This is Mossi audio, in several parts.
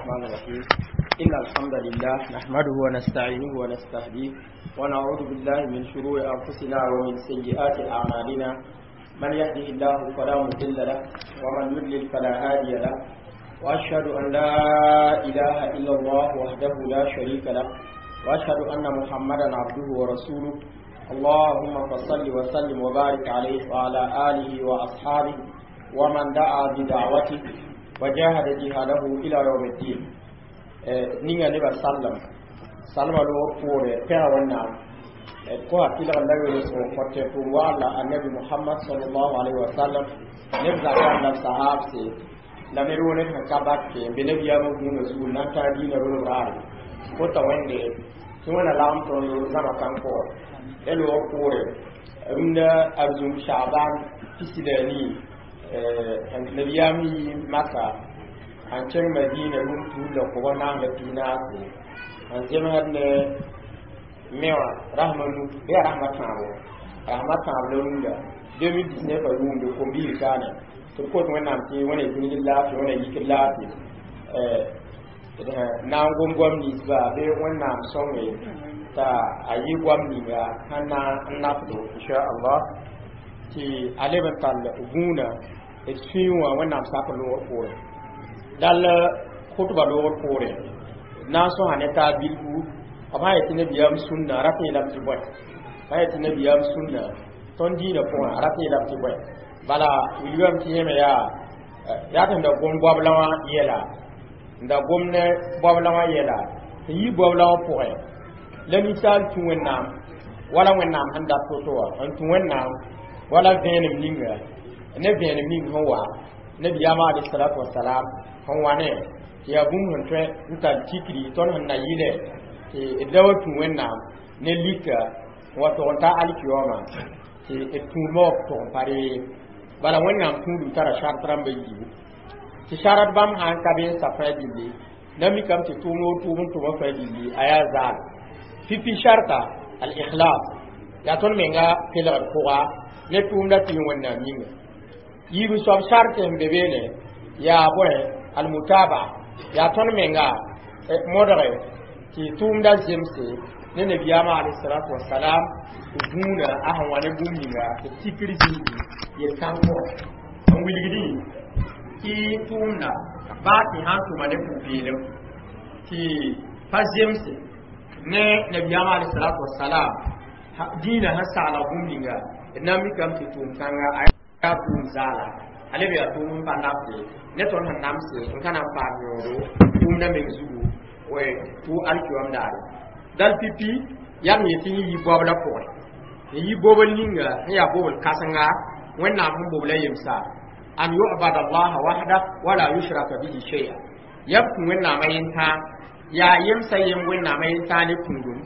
الرحمن الرحيم. إن الحمد لله نحمده ونستعينه ونستهديه ونعوذ بالله من شرور أنفسنا ومن سيئات أعمالنا. من يهده الله فلا مضل له ومن يضلل فلا هادي له، وأشهد أن لا إله إلا الله وحده لا شريك له، وأشهد أن محمدا عبده ورسوله. اللهم فصل وسلم وبارك عليه وعلى آله وأصحابه ومن دعا بدعوته وجاهد جهاده إلى يوم الدين. Ninga neba sallam salma lo pore pɛga wẽnnaam ko a tɩlg la welesg n kõt tʋʋm waala annabi Muhammad sallallahu alaihi wa sallam neb zakã la sahabse la ned wo ned sẽn ka bak n be nabiyaamã gũunã zugu n na n taa diinã rolb raare kota wẽnde tɩ wẽna lagem tõnd zãma kãn-pʋgẽ la loog poore rũndã arzũm Shaaban 14 nabiyaam yi Maka n kẽng Madina rũm tuud la koba naas la pinaase n zemsd ne me wã rasma nu bɩ yaa rasma tãabo rasma tãab la rũndã 2019 a yʋʋmde kom-biir kaane tɩ b kot Wẽnnaam tɩ wẽna zĩigd laafɩ wẽna yikd laafɩ na n gom goam ninsba bɩ Wẽnnaam sõnge t'a a yɩ goam ninga sẽn na n nafdo inchallah tɩ a leb n tall gũunã d sũyẽ wã Wẽnnaam sak loogr poorẽ dal khutba loogr poorẽ na n sõsa ne taab bilfu b sã yetɩ nabiyaam sũnna rat yeelame tɩ bõe sã yetɩ nabiyaam sũnna tõnd dĩinã pʋgẽ a rat yeelame tɩ bõe bala wilgame tɩ yẽme yaa yaa tɩ n da gom goabla wã yɛla n da gom ne goabla wã yɛla tɩ yi goabla wã pʋgẽ la ninsaal tũ Wẽnnaam wala Wẽnnaam sẽn dat to-to wã n tũ Wẽnnaam wala vẽenem ninga ne vẽenem ning sẽn wa nabiyaamã alayhi salatu wasalam sẽn wa ne tɩ yaa bũmb sẽn tõe n tar tikri tõnd sẽn na yɩlɛ tɩ d ra wa tũ Wẽnnaam ne lika n wa tog n ta alkiyooma tɩ d tũudmã wa tog n pa ree bala Wẽnnaam tũudum tara sart rãmba yiibu tɩ sarat bãmb sã n ka be n sa fãa gilli na mikame tɩ tʋʋm o tʋʋm n tʋma fãa gilli a yaa zaal pipi sharta al ikhlas yaa tõnd menga kelgd pʋga ne tʋʋmda tɩ yẽ Wẽnnaam yĩnga yiib soab sart n be beene yaa bõe al mutaba yaa tõnd menga modge tɩ tʋʋmda zemse ne nabiyaamã alayhi salatu wasalam gũunã a sẽn wa ne bũmb ninga tɩ tikr zĩigi yel-kãng pʋgẽ n wilgdĩ tɩ tʋʋmda baa tɩ sãn tʋma ne pʋ-peelem tɩ pa zemse ne nabiyaamã alayhi salatu wasalam dĩinã sẽn sagla bũmb ninga d na n mikame tɩ tʋʋm kãnga a yaa tʋʋm zaala a leb yaa tʋʋm n pa nabde ne tõnd sẽn namse n ka na n paam yõodo tʋʋmdã meng zugu tʋ alkiyoom daare dal pipi yaa m yetɩ yẽ yi goabla pʋgẽ n yi bobl ninga sẽn yaa bobl kãsenga Wẽnnaam sẽn bobla yemsa an yu'bada allaha wahda wala yushraka bihi shay'a yaa b tũ Wẽnnaamã yentã yaa yemsa yem Wẽnnaamã yentã ne tũudum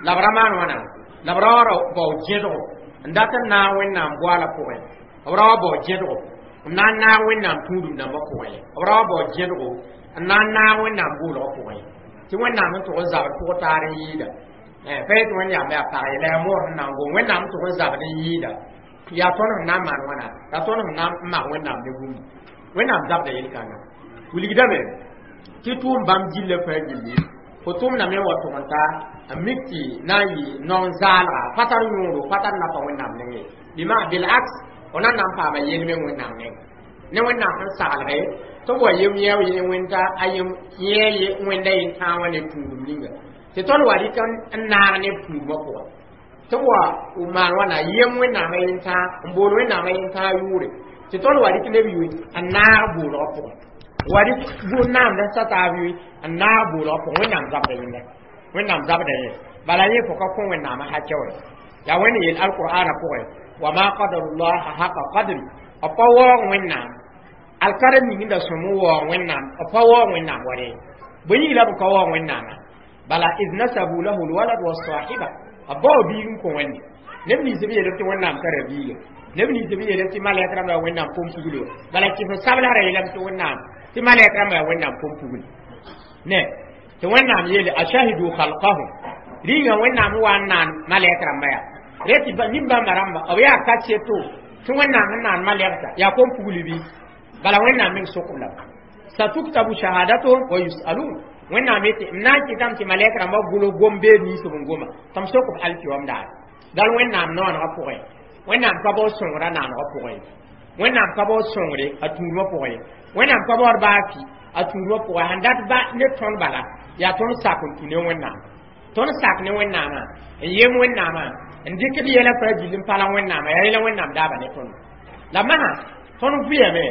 la b ra maan wãna la b ra wa bao dẽdgo n dat n naag Wẽnnaam goaala pʋgẽ b ra wa bao dẽdgo n na n naag Wẽnnaam tũudum dãmbã pʋgẽ b ra wa bao dẽdgo n na n naag Wẽnnaam boolgã pʋgẽ tɩ Wẽnnaam n tʋg n zabd pʋg taar n yɩɩda pa yetɩ Wẽnnaam yaa pag ye la yaa moor sẽn na n gom Wẽnnaam n tʋg n zabd n yɩɩda yaa tõnd sẽn na n maan wãna yaa tõnd sẽn na n mak Wẽnnaam ne bũmb Wẽnnaam zabda yel-kãnga wilgdame tɩ tʋʋm bãmb gilla fãa gilli fo tʋmdame n wa tʋg n ta n mik tɩ na n yɩ naon zaalga pa tar yõodo pa tar nafa Wẽnnaam nengẽ bɩ bilaks fo na n na n paama yelmeng Wẽnnaam nengẽ ne Wẽnnaam sẽn saglge tɩ b wa yem yɛo yẽ wẽnta a yem yẽ wẽnda yentãag wã ne tũudum ninga tɩ tõnd wa rɩk n naag ne tũudmã pʋgẽ tɩ b wa maan wãna yem Wẽnnaamã yentãag n bool Wẽnnaamã yentãag yʋʋre tɩ tõnd wa rɩk neb yʋɩ n naag boolgã pʋgẽ wa rɩk naamd n sa taab yʋɩ n naag boolgã pʋgẽ Wẽnnaam zabda yẽnda Wẽnnaam zabda yẽ bala yẽ fo ka kõ Wẽnnaamã hakɛ wɛ yaa Wẽnd yeel alqur'ana pʋgẽ wa ma qadarullaha haqa qadri b pa waoog Wẽnnaam alkara ning da sõm n waoog Wẽnnaam b pa waoog Wẽnnaam wa re bõe yĩng la b ka waoog Wẽnnaamã bala id nasabu lahu lwalad wasahiba b bao biig n kõ Wẽnde neb nins b yeelb tɩ Wẽnnaam tara biiga neb nins b yeelb tɩ malɛk rãmba yaa Wẽnnaam pʋm-puglo bala kɩf sabla ra yeelame tɩ Wẽnnaam tɩ malɛk rãmba yaa Wẽnnaam pʋm-pugl ne tɩ Wẽnnaam yeele ashahidu khalqahum rĩnga Wẽnnaam wa n naan malɛk rãmba yaa re tɩ nin-bãmba rãmba b yaa ka seto tɩ Wẽnnaam n naan malɛgta yaa kom-pugl bɩ bala Wẽnnaam meng sokb lame Satuktabu shahadatuhum wa yusalun. Wẽnnaam yetɩ m na n kɩtame tɩ malɛk rãmbã gʋlg gom-beed ninsb n goma tɩ m sok b alkiyoom daar. Dal Wẽnnaam noonegã pʋgẽ, Wẽnnaam ka baood sõngrã naanegã pʋgẽ, Wẽnnaam ka baood sõngre a tũudmã pʋgẽ, Wẽnnaam ka baood baa fɩ a tũudmã pʋgẽ. Sẽn dat ba ne tõnd bala yaa tõnd sak n tũ ne Wẽnnaam, tõnd sak ne Wẽnnaamã n yem Wẽnnaamã n dɩk d yɛlã fãa gill n pa la Wẽnnaamã, yaa yẽla Wẽnnaam daaba ne tõnd. La masã tõnd vɩyame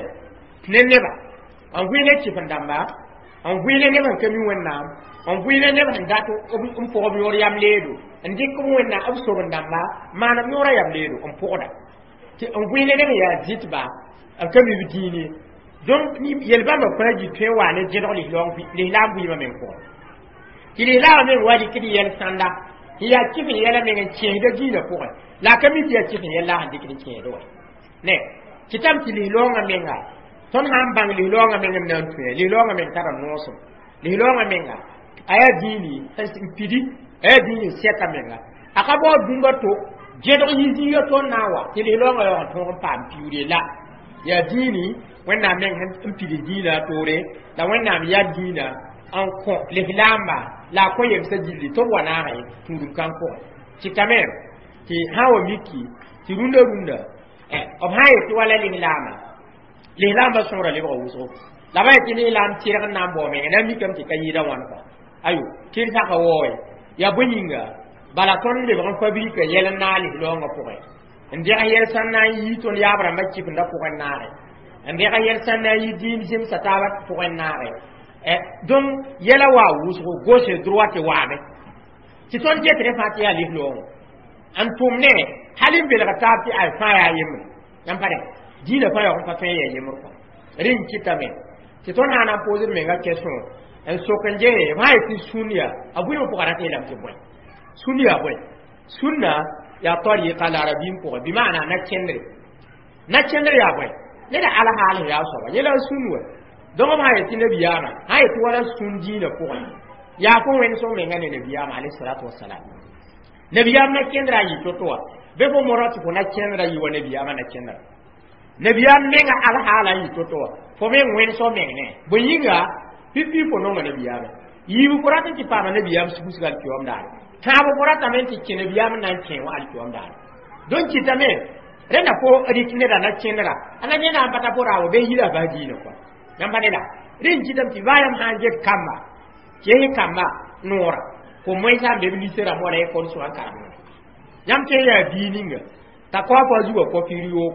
ne neba, n vɩ ne kɩf-n-dãmba, n vɩ ne neb n ka mi Wẽnnaam, n vɩ ne neb sẽn dat n pʋg b yõor yam leedo, n dɩk b Wẽnnaam b sob-n-dãmba maan b yõorã yam leedo n pʋgda, tɩ n vɩ ne neb yaa dɩtba b ka mi b dĩin ye. Donc yel-bãmba fãa gi tõe n wa ne zẽdg lislaam vɩɩmã meng pʋgẽ, tɩ lislaamã meng wa dɩk d yɛl sãnda n yaa kɩf n yɛla meng n kẽesda dĩinã pʋgẽ, la a ka mi tɩ yaa kɩf n yɛl la a sẽn dɩkd n kẽesd wa ne. Kɩtame tɩ lislaoongã menga tõnd sã n bãng lislaoongã meng m na n tũ, lislaoongã meng tara noosem, lislaoongã menga a yaa dĩini n pidi, a yaa dĩini n sɛka menga, a ka baood bũmb a to zẽdg yi zĩiga tõnd na n wa tɩ lislaoongã yaoog n tõog n paam piuure la yaa dĩini Wẽnnaam meng n pid dĩinã a toore, la Wẽnnaam yaa dĩinã n kõ lislaamba la a kõ yemsã gilli tɩ b wa naagẽ tũudum kãng pʋgẽ. Kɩtame tɩ sã n wa miki tɩ rũndã rũndã b sã n yetɩ wala lislaama, lislaambã sõgra lebga wʋsgo, la ba yetɩ lislaam tɩrg n na n bao menga na n mikame tɩ ka yɩɩda wãn kɔa ayo tɩr saka waoe yaa bõe yĩnga bala tõnd lebg n fabrika yɛl n naag lislaoongã pʋgẽ, n deg yɛl sãn na n yi tõnd yaab rãmbã kɩfenda pʋgẽ naage, n deg yɛl sãn na n yi dĩin zemsa taabã pʋgẽ naage. Donc yɛla wa wʋsgo gauche droite waame tɩ tõnd getre fãa tɩ yaa lislaoongã n tʋm ne hal n belg taab tɩ ay fãa yaa yembre yãmb pa rẽ dĩinã fãa yaoog n pa tõe n yaa yembr kɔ. Rẽ n kɩtame tɩ tõnd sã n na n poosd menga question n sok n gese b sã n yetɩ sũn yaa a bʋɩmã pʋga rat yeelame tɩ bõe sũn yaa bõe sũnna yaa tariqa la arabim pʋgẽ bɩ maana na kẽndre, na kẽndr yaa bõe neda alhaal yaa soaba yẽla sũn wa. Donc b sã yetɩ nabiyaamã sã yetɩ wala sũn dĩinã pʋgẽ yaa fo wẽnd sõm menga ne nabiyaamã alayhi salatu wasalam, nabiyaam na kẽndra a yɩ to-to wa bɩ fo mora tɩ fo na kẽndra yɩ wa nabiyaamã na kẽndra nabiyaam menga alhaala yɩ to-to wa fo meng wẽnd sõm meng ne bõe yĩnga pipi fo nonga nabiyaamã yiibu fo rat n tɩ paama nabiyaam sugusg alkiyoom daare, tãab fo ratame n tɩ kẽ nabiyaam n na n kẽ wã alkiyoom daare. Donc kɩtame rẽnda fo rɩk neda na kẽndra a na yẽ na n bata fo raa wa bɩ yira bas dĩinã kɔa yãmb pa neda. Rẽ n kɩtame tɩ baa yãmb sã n get kamba kɩ kamba noora fo moẽsã n be b lise rãmb wala ekol sʋga n karem yãmb tõe n yaa bii ninga t'a kao fo a zugã kɔfir yoog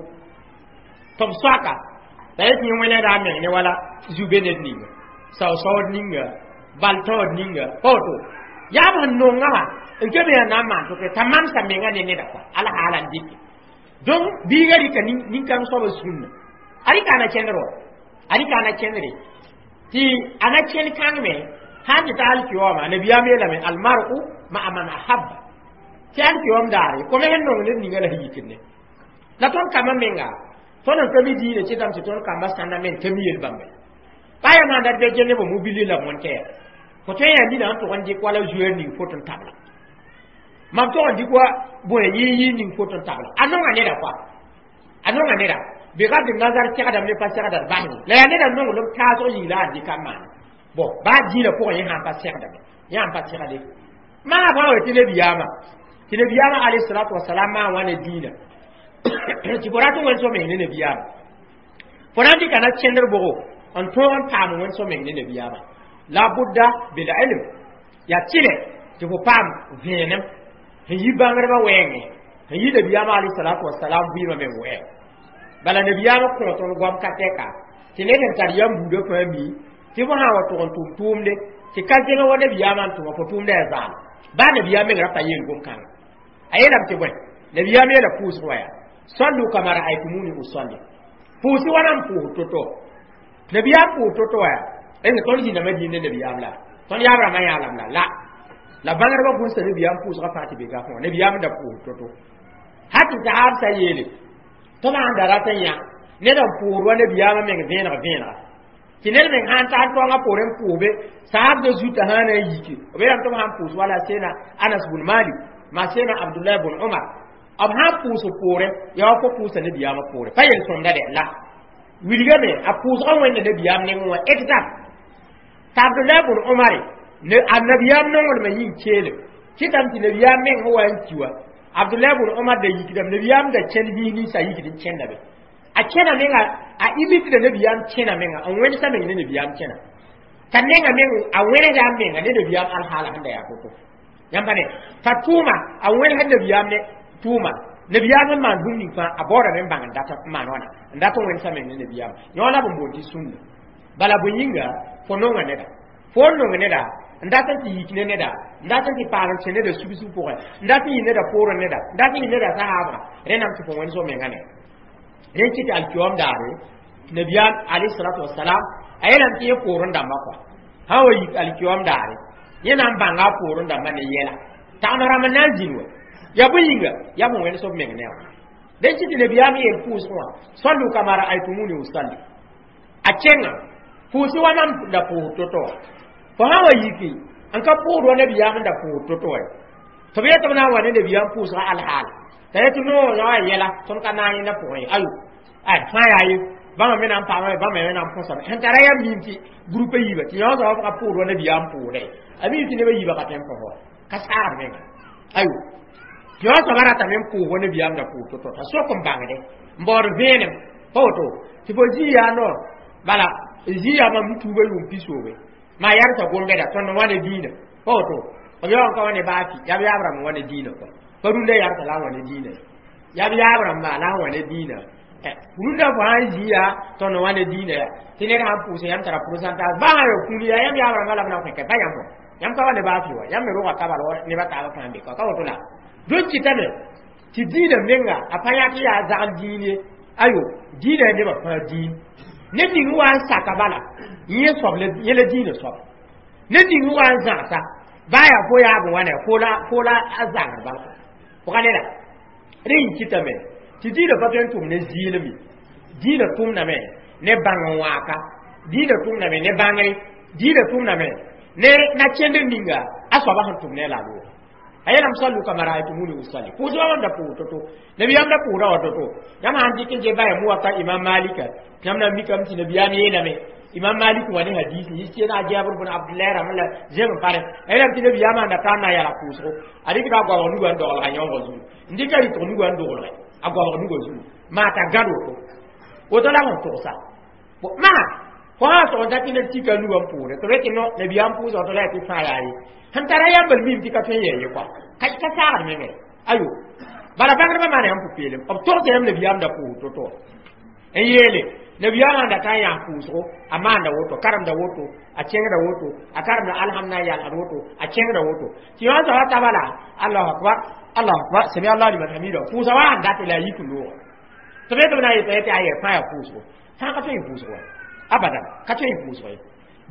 tɩ b soaka la yetɩ yẽ wẽneda a meng ne wala zu-be ned ninga sao-saood ninga bal-taood ninga pa woto yaa b sẽn nonga wã n ke me yaa na n maan to t'a mamsa menga ne neda kɔa alhaala n dɩke. Donc biiga rɩka nin-kãng soaba sũnna a rɩka a na kẽndr wa a rɩka a na kẽndre tɩ a na kẽnd kãng me sã n tɩ ta alkiyooma nabiyaam yeelame almar'u ma'a man ahabba tɩ alkiyoom daare kome sẽn nong ned ninga la sẽn yikd ne la tõnd kambã menga tõnd n ka mi dĩinã kɩtame tɩ tõnd kambã sãnda meng ka mi yel-bãmba pa yam sãn dat bɩ gende b mobili la mõn-tɛɛ fo tõe n yaa nina sẽn tʋg n dɩk wala zueer ning foto n tabla mam tʋg n dɩk wa bõe yɩ ning foto n tabla a nonga neda kɔa a nonga neda bɩ gad nazar segdame ne pa segda d basne la yaa neda nonglem taasg yĩng la a dɩka n maana bon baa dĩinã pʋgẽ yẽ sãn pa segdame yẽ sãn pa segde maa fãa wa tɩ nabiyaamã tɩ nabiyaamã alayhi salatu wasalam maa wã ne dĩinã tɩ fo rat n wẽn so meng ne nabiyaamã fo na n dɩka na kẽndr bʋgo n tõog n paam wẽn so meng ne nabiyaamã la budda bil ilm yaa tɩlɛ tɩ fo paam vẽenem sẽn yi bãngdbã wɛɛngẽ sẽn yi nabiyaamã alayhi salatu wasalam vɩɩmã meng wɛɛng bala nabiyaamã kõ tõnd goam ka tɛka tɩ ned sẽn tar yam buudã fãa mi tɩ fo sã n wa tʋg n tʋm tʋʋmde tɩ ka zẽng wa nabiyaamã n tʋma fo tʋʋmda yaa zaal baa nabiyaam meng ra pa yeel gom-kãngã a yeelame tɩ bõe nabiyaam yeela pʋʋsg wa yaa sallu kama ra'aytumuni usalli pʋʋsɩ wãna n pʋʋs to-to nabiyaam pʋʋs to-to wa yaa est tõnd zĩndame dĩin ne nabiyaam la tõnd yaab rãmbã yãalam la la la bãngdbã gũnsa nabiyaam pʋʋsgã fãa tɩ be gafẽ wã nabiyaam da pʋʋs to-to ha tɩ sahaab sa yeele tɩ b sãn da rat n yã ned n pʋʋsd wa nabiyaamã meng vẽeneg vẽenega tɩ ned meng sãn tar taoongã poorẽ n pʋʋsbe sahabdã zutã sã na n yike b yeelame tɩ b sãn pʋʋs wala seena Anas bun Malik ma seena Abdullah bun Umar b sãn pʋʋs poorẽ yaa wa fo pʋʋsa nabiyaamã poorẽ pa yel-sõmda dɛ la Wilgame a pʋʋsgã wẽnda nabiyaam nengẽ wã exact. T'a Abdullah bn Omare ne a nabiyaam nonglmã yĩng keelem kɩtame tɩ nabiyaam meng sẽn wa n ki wa Abdullah bn Omar da yikdame nabiyaam da kẽnd zĩig ninsã yikd n kẽnda be a kẽna menga a imitda nabiyaam kẽna menga n wẽnsa meng ne nabiyaam kẽna t'a nenga meng a wẽnega a menga ne nabiyaam alhaala sẽn da yaa toto yãmb pa ne t'a tʋʋma a wẽnsd nabiyaam ne tʋʋma nabiyaam sẽn maan bũmb ning fãa a baoodame n bãng n dat n maan wãna n dat n wẽnsa meng ne nabiyaam yõ la b n boond tɩ sũnna bala bõe yĩnga fo nonga neda fo n nong neda n dat n tɩ yik ne neda n dat n tɩ paal n kẽ neda sug-sug pʋgẽ n dat n yɩ neda poorẽ neda n dat n yɩ neda sahaabga rẽndame tɩ fo wẽns f menga ne rẽn kɩ tɩ alkiyoom daare nabiyaam alayhi wasalam a yeelame tɩ yẽ poorẽ dãmbã kɔa sã wa yik alkiyoom daare yẽ na n bãnga a poorẽ dãmbã ne yɛla tagem rãmb n na n zĩnd wa ya bõe yĩnga yaa fõ wẽns f meng ne wã dẽn kɩ tɩ nabiyaam yeel pʋʋsg wã sallu kama raaytumuni usalli a kẽnga pʋʋsɩ wa mam da pʋʋs to-to wã fo sã wa yiki n ka pʋʋd wa nabiyaam n da pʋʋs to-to wa tɩ b yetɩ b na n wa ne nabiyaam pʋʋsga alhaal t'a yetɩ no ya wa yɛla tõnd ka naag yẽnda pʋgẽ ye ayo ay fãa yaa ye bãmba me na n paama bãmba me na n põsame sẽn tara yam mim tɩ groupe yiiba tɩ yõ soab ka pʋʋd wa nabiyaam pʋʋdɛ a mim tɩ nebã yiiba ka tõe n põs wa ka saagd menga ayo tɩ yõ soaba ratame n pʋʋs wa nabiyaam da pʋʋs to-to t'a sok n bãngde n baood vẽenem pa woto tɩ fo zĩ yaa no bala zĩ yaa mam tuuba yʋʋm pisoobe maa yɛrsa gom-bɛda tõnd n wa ne dĩinã pa woto b yaoon ka wa ne baa fɩ yaa b yaab rãmb n wa ne dĩinã kɔa pa rũndã yɛrsa la n wa ne dĩinã yaa b yaab rãmba la n wa ne dĩinã rũndã fo sã n zĩ yaa tõnd n wa ne dĩinã yaa tɩ ned sãn pʋʋsẽ yãmb tara pourcentage baa sã ya kũuni yaa yãmb yaab rãmbã la b na n kõ pa yãmb yãmb ka wa ne baa fɩ wa yãmb me roga ka bala nebã taabã fãa n be ka ka woto la dõn kɩtame tɩ dĩinã menga a pa yãk yaa zagl dĩin ye ayo dĩinã yaa nebã fãa dĩin ned ning n wa n saka bala yẽ soab yẽ la dĩinã soab ned ning n wa n zãgsa baa yaa fo yaab n wa ne fo la a zãngd bal pʋga neda rẽ n kɩtame tɩ dĩinã pa tõe n tʋm ne zɩɩlem ye dĩinã tʋmdame ne bãng n wãaka dĩinã tʋmdame ne bãngre dĩinã tʋmdame ne na kẽndr ninga a soabã sẽn tʋm ne la a loog a yeelame sallu kama raaytumuni usalli pʋʋsg wã da pʋʋs to-to nabiyaam da pʋʋsda wa to-to yãmb sãn dɩk n ge baya muwata imam malika yãmb na n mikame tɩ nabiyaam yeelame imam malik wa ne hadis yis tɩ na jabr bn abdullah rãmb la zem n pare a yeelame tɩ nabiyaam sãn da tar na n yala pʋʋsgo a dɩkda a goabg nugã n doglga yõngã zugu n dɩka rɩtg nugã n doglge a goabg nugã zugu maa t'a gãd woto woto la sẽn togsa maa fo sã sog n dat tɩ ned tika nugã n pʋʋre tɩ b tɩ no nabiyaam pʋʋsga to la yaa tɩ fãa yaa ye sẽn tara yãmbl mim tɩ ka tõe n yɛ ye kɔa ka saagd mengã ayo bala bãngdbã maana yãmb pʋ-peelem b togsa yãmb nabiyaam da pʋʋs to-to n yeele nabiyaam sãn da ka n yãas pʋʋsgo a maanda woto karemda woto a kẽngda woto a karemda alhamd na n yalsd woto a kẽngda woto tɩ yõ soaba ta bala allahu akbar allahu akbar sami allah liman hamida pʋʋsa wa sãn dat la a yik looga tɩ b yetɩ b na n yeta tɩ a yɛ fãa yaa pʋʋsgo fãa ka tõe n pʋʋsgo wa abadan ka tõe n pʋʋsgo ye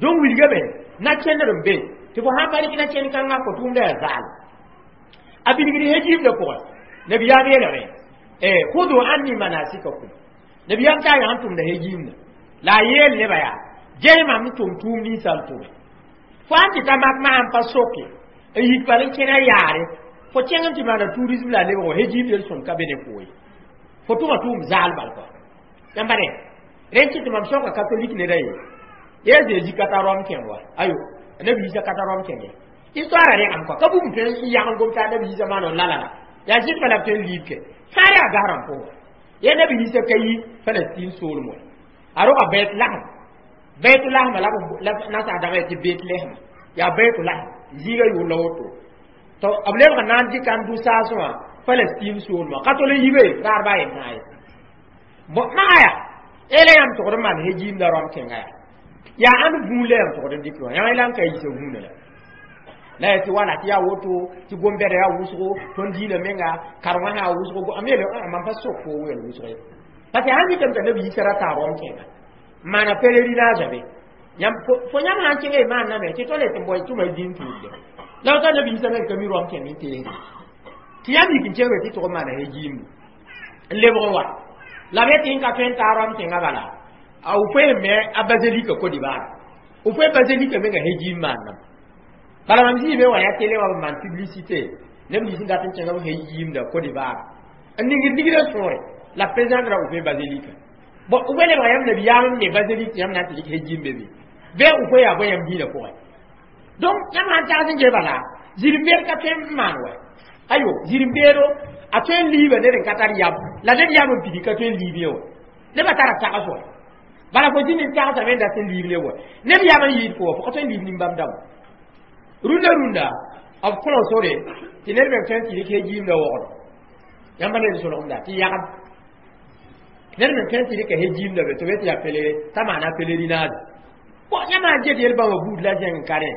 donc wilgame na kẽndr n be tɩ fo sãn pa rɩk na kẽnd kãngã fo tʋʋmda yaa zaal a bilgd hejiimdã pʋgẽ nabiyaam yeelame hudu anni manasikakum nabiyaam t'a yã sẽn tʋmda hejiimdã la a yeel nebã yaa ges mam n tʋm tʋʋm ninsã n tʋme fo sãn tɩ ta mak masã n pa soke n yik bal n kẽna yaare fo kẽng n tɩ maana tourisme la a lebg hejiim yel sõm ka be ne fo ye fo tʋma tʋʋm zaal bal kɔa yãmba ne rẽn kɩ tɩ mam soka catholique neda ye ye Zezi ka ta Rome kẽng wa ayo nabi Isa ka ta Rome kẽng ye histoire rẽgame kɔa ka bũmb tõe n yag n gom t'a nabi Isa maan n la la la yaa zɩtba la b tõe n liib ke fãa yaa gasrã n pʋgẽ ye nabi Isa ka yi Palestine soolem wa a roga Bethlehem Bethlehem la nasaar dãmba tɩ Bethlehem yaa Bethlehem zĩiga yʋʋr la woto to b lebg n na n dɩka n dʋ saasẽ wã Palestine soolmã ka tol n yibe raar baa yen tãa ye maga yaa ela yãmb togd n maan hejiimda Rõm kẽnga yaa yaa ãnd vũun la yãmb togd n dɩk wã yãmb la n ka yiisa vũunã la la yaa tɩ wala tɩ yaa woto tɩ gom-bɛda yaa wʋsgo tõnd dĩinã menga karengã sã yaa wʋsgo am yeele mam pa sok fo weel wʋsg ye parce que sãn mikame t'a nabi Yiisa ra taa Rõm kẽnga maana pèlerinage be yãmb fo yãmb sãn kẽnga y maanname tɩ tõnd tɩ n bao tʋma y dĩin tuudde la t'a nabi Yiisa me ka mi Rõm kẽng n teesde tɩ yãmb yik n kẽngre tɩ tʋg n maana hejiimdu n lebg n wa la b yetɩ n ka tõe n taa Rõm kẽnga bala a Houphouët me a basilique Côte d'Ivoire Houphouët basilique menga hejiim maannam bala mam zĩig be wa yaa télé wã b maan publicité neb nins n dat n kẽnga b hejiimda Côte d'Ivoire n ningd nigrã sõore la président ra Houphouët basilique Bon wele ba yam nabiyaam me baseli tɩ yãmb na n tɩ dɩk hejim be be bɩ f fo yaa bõe yãmb diinã pʋgẽ. Donc yãmb sãn tags n ges bala zĩr-beed ka tõe n maan wɛ. Ayo zĩr-beedo a tõe n liiba ned n ka tar yam la ned yam n pidi ka tõe n liib ye wã. Nebã tara tags wã bala fo zĩnd n tagsame n dat n liib ne wa. Ned yam n yɩɩd fo wã fo ka tõe n liib nin-bãmb dãmba. Rũndã rũndã b kõ sore tɩ ned meng tõe n tɩ dɩk hejiimda wogdo. Yãmba ned solgemda tɩ yagem ned meng tõe n tɩ dɩka hejiimda be tɩ be tɩ yaa pelere t'a maana pèlerinage. Bon yãmb sãn get yel-bãmba buud la zẽng n ka rẽ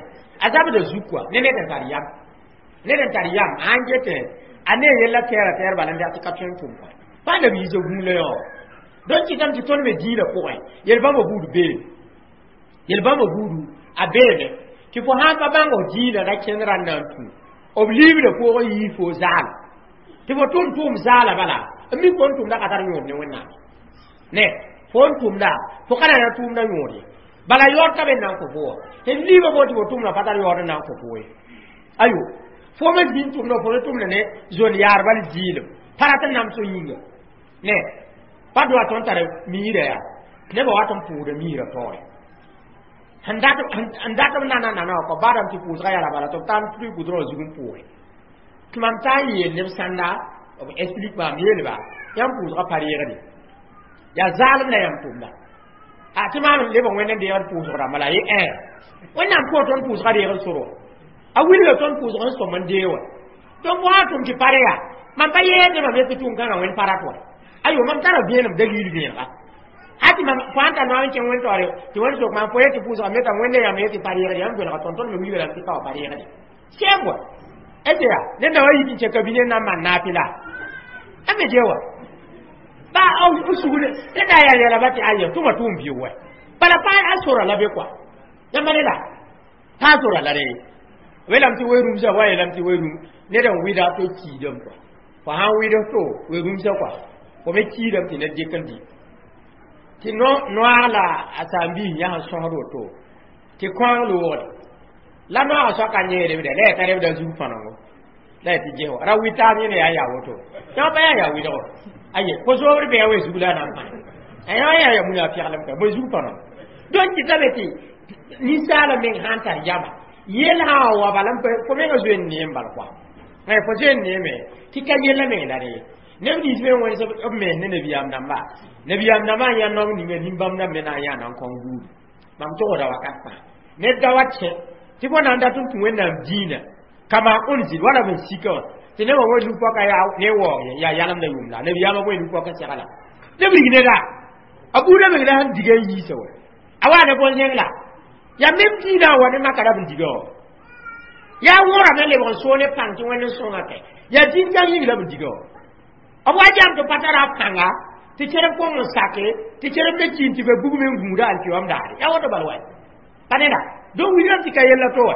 a zabda zug kɔa ne ned n tar yam, ned n tar yam sãn getẽ a ne yella tɛɛra tɛɛr bala n dat tɩ ka tõe n tʋm kɔa pa nabi-yiisã gũu la yã. Donc kɩtame tɩ tõnd me dĩinã pʋgẽ yel-bãmba buud beeme, yel-bãmba buudu a beeme tɩ fo sãn pa bãng f dĩinã ra kẽnd rãnd na n tũ b liibdã pʋʋg n yii fo zaala tɩ fo tʋm tʋʋm zaala bala n mi fo n tʋmda ka tar yõod ne Wẽnnaam ne fo n tʋmda fo ka na na tʋʋmda yõod ye bala yaood ka be n na n kõ fo wã tɩ liibã fo tɩ fo tʋmda pa tar yaood n na n kõ fo ye. Ayo fo me zĩnd tʋmda fo me tʋmda ne zon yaar bal zɩɩlem pa rat n nams yĩnga ne pa doa tõnd tar miirã yaa nebã wat n pʋʋda miirã taoore n dat b nana nana wã kɔ badame tɩ pʋʋsga yaa la bala tɩ b tar tɩ gʋdrõ zug n pʋʋge tɩ mam taa n yeel neb sãnda b explique maam yeelba yãmb pʋʋsga pa reegde yaa zaalem la yãmb tʋmda a tɩ maan leb n wẽnd n deegd pʋʋsg rãmba la ye ẽ Wẽnnaam pʋʋg tõnd pʋʋsga reegd sor wã a wilga tõnd pʋʋsg n sõm n dee wã. Donc fo sã tʋm tɩ pa re yaa mam pa yeed ne mam yetɩ tʋʋm kãngã wẽnd pa rat wa. Ayo mam tara vẽenem dalil vẽenega hati mam fo sãn tar noog n kẽng wẽn taoore tɩ wẽnd sok maam fo yetɩ pʋʋsga me t'a wẽnde yãmb yetɩ pa reegde yãmb vẽnega tõnd tõnd me wilga rãmb tɩ pa wa pa reegde sɛm wa est yaa ned na wa yit n kẽ kabine n na n maan naapɩ la a me je wa ba b sugr ned na yaa yɛla ba tɩ aya tʋma tʋʋm biʋ wa bala pa a sora la be kɔa yãmba ne la pa a sora la re welame tɩ we-rũmsã wa yeelame tɩ we-rũm ned n wɩda to kiidame kɔa fo sãn wɩd to we-rũmsã kɔa fo me kiidame tɩ ned dɩk n dɩ tɩ noaag la a saam-biis yãs n sõsd woto tɩ kõang loogde la noaagã soaka yẽ rebda la yaa t'a rebda zug fãnengo la yaa tɩ ges wa ra wɩ taab yẽne yaa yaa woto yã pa yaa yaa wɩdgo aye fo zoobr bɩ ya we zug la a na n pãne yã yaa yaa muna pɛglem ka bõe zug fãnengo. Donc kɩtame tɩ ninsaala meng sãn tar yama yel sã wa bala fo mengã zoe n neem bal kɔa fo zoe n neeme tɩ ka yella meng la re neb nins me wẽns b mens ne nabiyaam dãmba nabiyaam dãmbã n yaa naong ninga nin-bãmb dãmb me na n yaa na n kõng buudu mam togsda wakat fãa ned da wa kẽ tɩ fo na n dat n tũ Wẽnnaam dĩinã kama unzil wala b n sika wã tɩ nebã wã nu-pɔka yaa ne waoog ye yaa yalemda yʋʋm la nabiyaamã bõe nu-pɔka segla neb rig neda a buudã meng la sẽn diga n yiisa wa a wa ne bõn-zẽng la yaa mem dĩinã wa ne maka ra b n diga wã yaa wõrame lebg n soog ne pãng tɩ Wẽnd n sõnga kɛ yaa dĩn-kãng yĩng la b n diga wã b wa jam tɩ pa tara a pãnga tɩ kẽrb kong n sake tɩ kẽrb me kiin tɩ ba bugme n gũuda alkiyom daare yaa woto bal wa pa neda. Donc wilgame tɩ ka yella to wa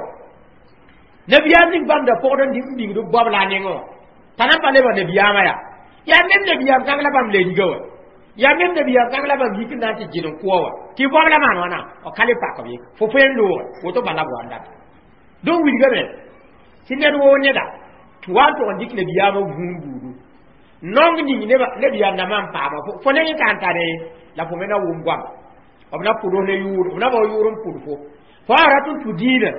nabiyaam ning bãmb da pʋgd n bĩngd b goab la a nengẽ wã t'a na n pa lebg nabiyaamã yaa yaa mem nabiyaam kãng la bãmb le riga wa yaa mem nabiyaam kãng la bãmb yik n na n tɩ gɩd n kʋa wa tɩ goab la maan wãna b ka le pak b ye fo fo n loogre woto bala b wa n data. Donc wilgame tɩ ned woo neda tɩ wa n tʋg n dɩk nabiyaamã vũun buudu nong ning nabiyaam dãmbã n paama fo neng n ka n tare la fo me na wʋm goama b na pʋds ne yʋʋr b na bao yʋʋr n pʋd fo fo a rat n tũ dĩinã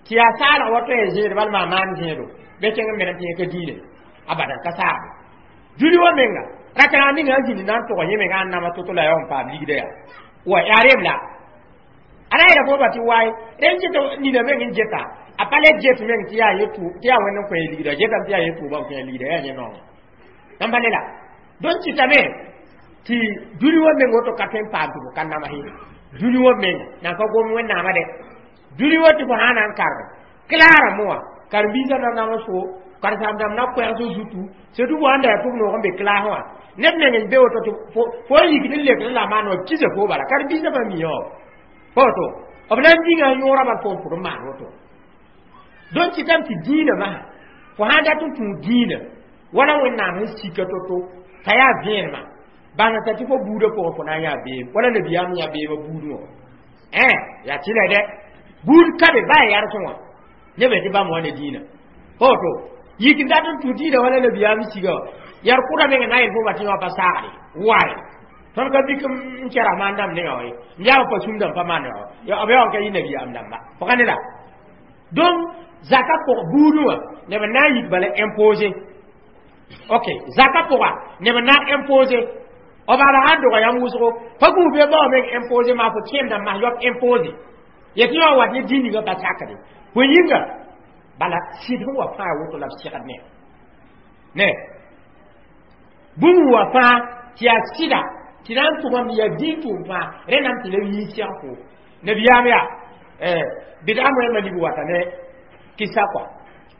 tɩ yaa saalg wa tõe zẽed bal maa maan zẽedo bɩ kẽng n menem tɩ yẽ ka dĩinã abadan ka saagbe dũni wã menga rakẽrã ninga n zĩnd na n tʋg yẽ menga n nama to-to la yaa n paam ligda yaa wa yaa rem la a ra yeela fo ba tɩ wae rẽn ket nina meng n geta a pa le get meng tɩ yaa yẽ tɩ yaa Wẽnd n kõ ligda getame tɩ yaa yẽ tʋʋba n kõ ligda yaa yẽ naoongã yãmba ne la donc kɩtame tɩ dũni wã meng woto ka tõe n paam tɩ fo ka namas ye dũni wã menga nan ka gom Wẽnnaamã dɛ dũni wã tɩ fo sã na n karge klaara moa karen-biisã na namas fo karen-saam dãmb na koɛɛg zutu surtout fo sãn da yaa tʋb noog n be klaasẽ wã ned meng n be woto tɩ fo n yikd n lekd la maan wã kisa fo bala karen-biisã pa mi wã pa woto b na n dĩnga yõora bal fo n pʋd n maan woto. Donc kɩtame tɩ dĩinã masã fo sãn dat n tũ dĩinã wala Wẽnnaam sẽn sika to-to t'a yaa vẽenemã bãng t'a tɩ fo buudã pʋgẽ fo na n yaa beem wala nabiyaam yã beemã buudẽ wã ẽ yaa tɩ la dɛ buud ka be baa yarsẽ wã neb tɩ bãmb wa ne dĩinã pa woto yik n dat n tũ dĩinã wala nabiyaam siga wã yar kʋda meng na n yel fo ba tɩ wã pa saagde wae Tõnd ka bik n kɛra maan dãmb nengã wã ye n yaa pa sũm dãmb pa maan wa b yaa ka yɩ nabiyaam dãmba fo ka ne la donc zaka pʋg buudẽ wã neb n na n yik bala imposé. Ok, zaka pʋga neb n na n imposé b bala sãn doga yãmb wʋsgo pa gũus be bao meng imposé maa fo kẽemdã mas yoab imposé yetɩ yã wat ne dĩn ninga pa sakde fo yĩnga bala sɩd sẽn wa fãa woto la b segd ne ne bũmb wa fãa tɩ yaa sɩda tɩ na n tʋgame yaa dĩn tʋʋm fãa rẽndame tɩ neb yĩn seg fo nabiyaam yaa bɩd'a moɛɛmã lib wata ne kɩsa kɔa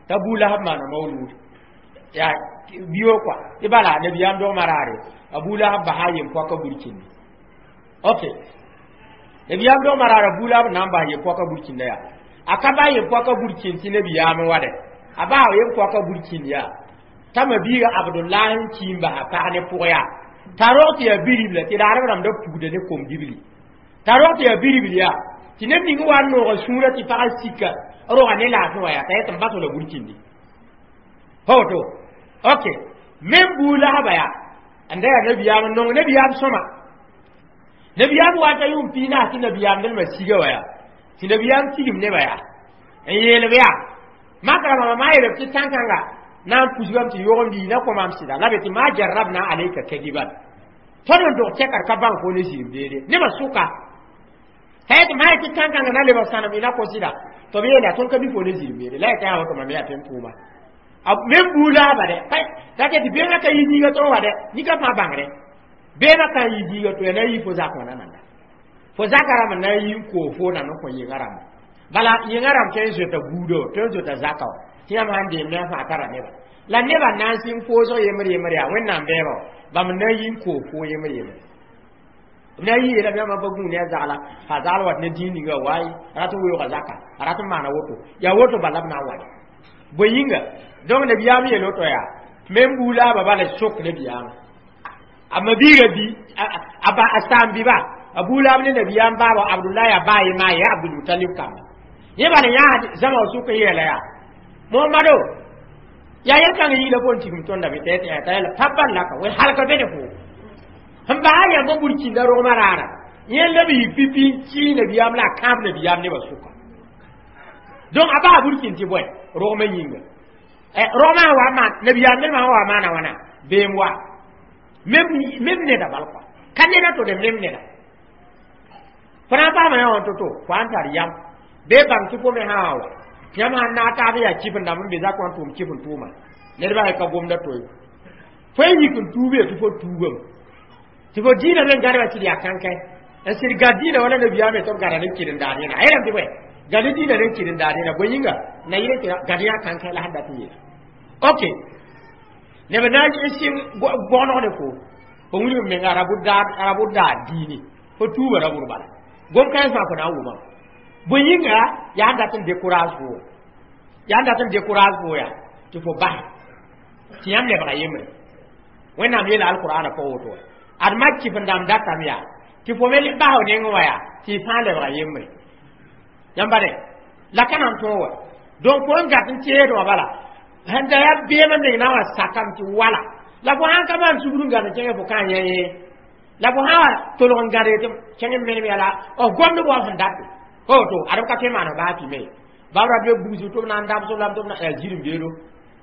t'a Bu Lahab maana maulud yaa bio kɔa tɩ bala nabiyaam dogmã raare a Bu Lahab basa a yem-poaka burkindi. Ok, nabiyaam dogmã raare a Bu Lahab na n bas yem-poaka burkĩnda yaa a ka ba yem-poaka burkĩnd tɩ nabiyaam n wa dɛ a baa yem-poaka burkĩnd yaa t'a ma-biiga Abdullah n kii n basa pag ne pʋg yaa t'a rog tɩ yaa biribla tɩ raadb rãmb da pugda ne kom-dibli t'a rog tɩ yaa biribl yaa tɩ neb ning wa n nooga sũurã tɩ pagã sika roga ne laafẽ wa yaa t'a yet n bas la burkĩndi pa woto. Ok, mem Bu Lahaba yaa n da yaa nabiyaam n nong nabiyaam sõma nabiyaam wata yʋʋm piig naas tɩ nabiyaam nelmã siga wa yaa tɩ nabiyaam tigim nebã yaa n yeelb yaa makra mama maa yeelb tɩ tãn-kãnga na n pusgame tɩ yogem na kõmam sɩda la be tɩ maa jarabna alayka kadiban tõnd n dog tɛkr ka bãng fo ne zĩim beede nebã sʋka t'a yetɩ maa tɩ tãn-kãngã na lebg sãnem y na kõ sɩda tɩ b yeela tõnd ka mi fo ne zĩim beede la yetɩ yaa woto mam yaa tɩ n tʋʋma mem Bu Laaba dɛ ta tɩ beemã ka yi diiga tõnd wa dɛ nika fãa bãngre beemã ka n yi diiga to ya na yi fo zak wã na nanda fo zaka rãmb n na n yi n koo fo na n kõ yɩngã rãmba bala yɩngã rãmb tõe n zoeta buudã wa tõe n zoeta zaka wa tɩ yãmb sãn deem ne a fãa tara neba la nebã na n sɩng foosg yembr yembr yaa Wẽnnaam bɛɛba wa bãmb n na n yi n koo fo yembr yembre b na n yi yeelame yãmb pa gũu ne a zagla fa zagl wat ne dĩig ninga waay rat n weooga zaka a rat n maana woto yaa woto bala b na n wa bõe yĩnga donc nabiyaam yeel woto yaa mem Bu Laaba bala sok nabiyaamã a mabiiga bi a saam biba a Bu Laab ne nabiyaam baaba Abdullah yaa baa ye maa yaa Abdulmutalib kamba yẽ bala yãa zãma sʋk n yeela yaa Mohamado yaa yel-kãng yɩɩla fo n tigim tõnda bɩ t'a yɛla tabban laka wel halka be ne fo sẽn baa yãmb n burkĩnda rogmã raara yẽ la b yik pipi n kii nabiyaam la a kãab nabiyaam nebã sʋka donc a baa burkĩnd tɩ bõe rogmã yĩnga rogmã sã wa maan nabiyaam nebã sã wa maana wãna beem wa mem neda bal kɔa ka neda to de mem neda fo na n paama yã wã to-to fo n tar yam bee bãng tɩ fo me sã wa yãmb sãn naag taab yaa kɩf n dãmb n be zak wã n tʋʋm kɩf n tʋʋma nedbã ka gomda toy fo n yik n tuube tɩ fo tuugame tɩ fo dĩinã me gãdba tɩ d yaa kãnkẽ n sɩd gã dĩinã wala nabiyaame tɩ b gãda ne kɩren-daar yẽna a yeelame tɩ bõe gãd dĩinã ne kɩren-daar yẽna bõe yĩnga na yɩl tɩ gãd yã kãnkẽ la sẽn dat n yeela. Ok, neb na n sɩng gognegde fo fo wilg menga rabʋd daar dĩini fo tuuba rabʋd bala gom kãens fãa fo na n wʋmame bõe yĩnga yaa n dat n décourage fo yaa n dat n décourage fo yaa tɩ fo basɛ tɩ yãmb lebga yembre Wẽnnaam yeela alqur'ana pʋgẽ woto wa ad mak kɩf n dãmb datame yaa tɩ fo me bas nengẽ wã yaa tɩ y fãa lebga yembre yãmba dɛ la ka na n tõog wa donc fo n gat n teed wã bala sẽn da yaa beem n neng na n wa sakame tɩ wala la fo sãn ka maan sugr n gãd n kẽngẽ fo ka n yã ye la fo sã wa tolg n gãd tɩ kẽng n menem yaa la gomd wa sẽn date woto ad b ka tõe maana baa tɩ me bab rat be bugsg tɩ b na n dabs lame tɩ b na yaa zirem beelo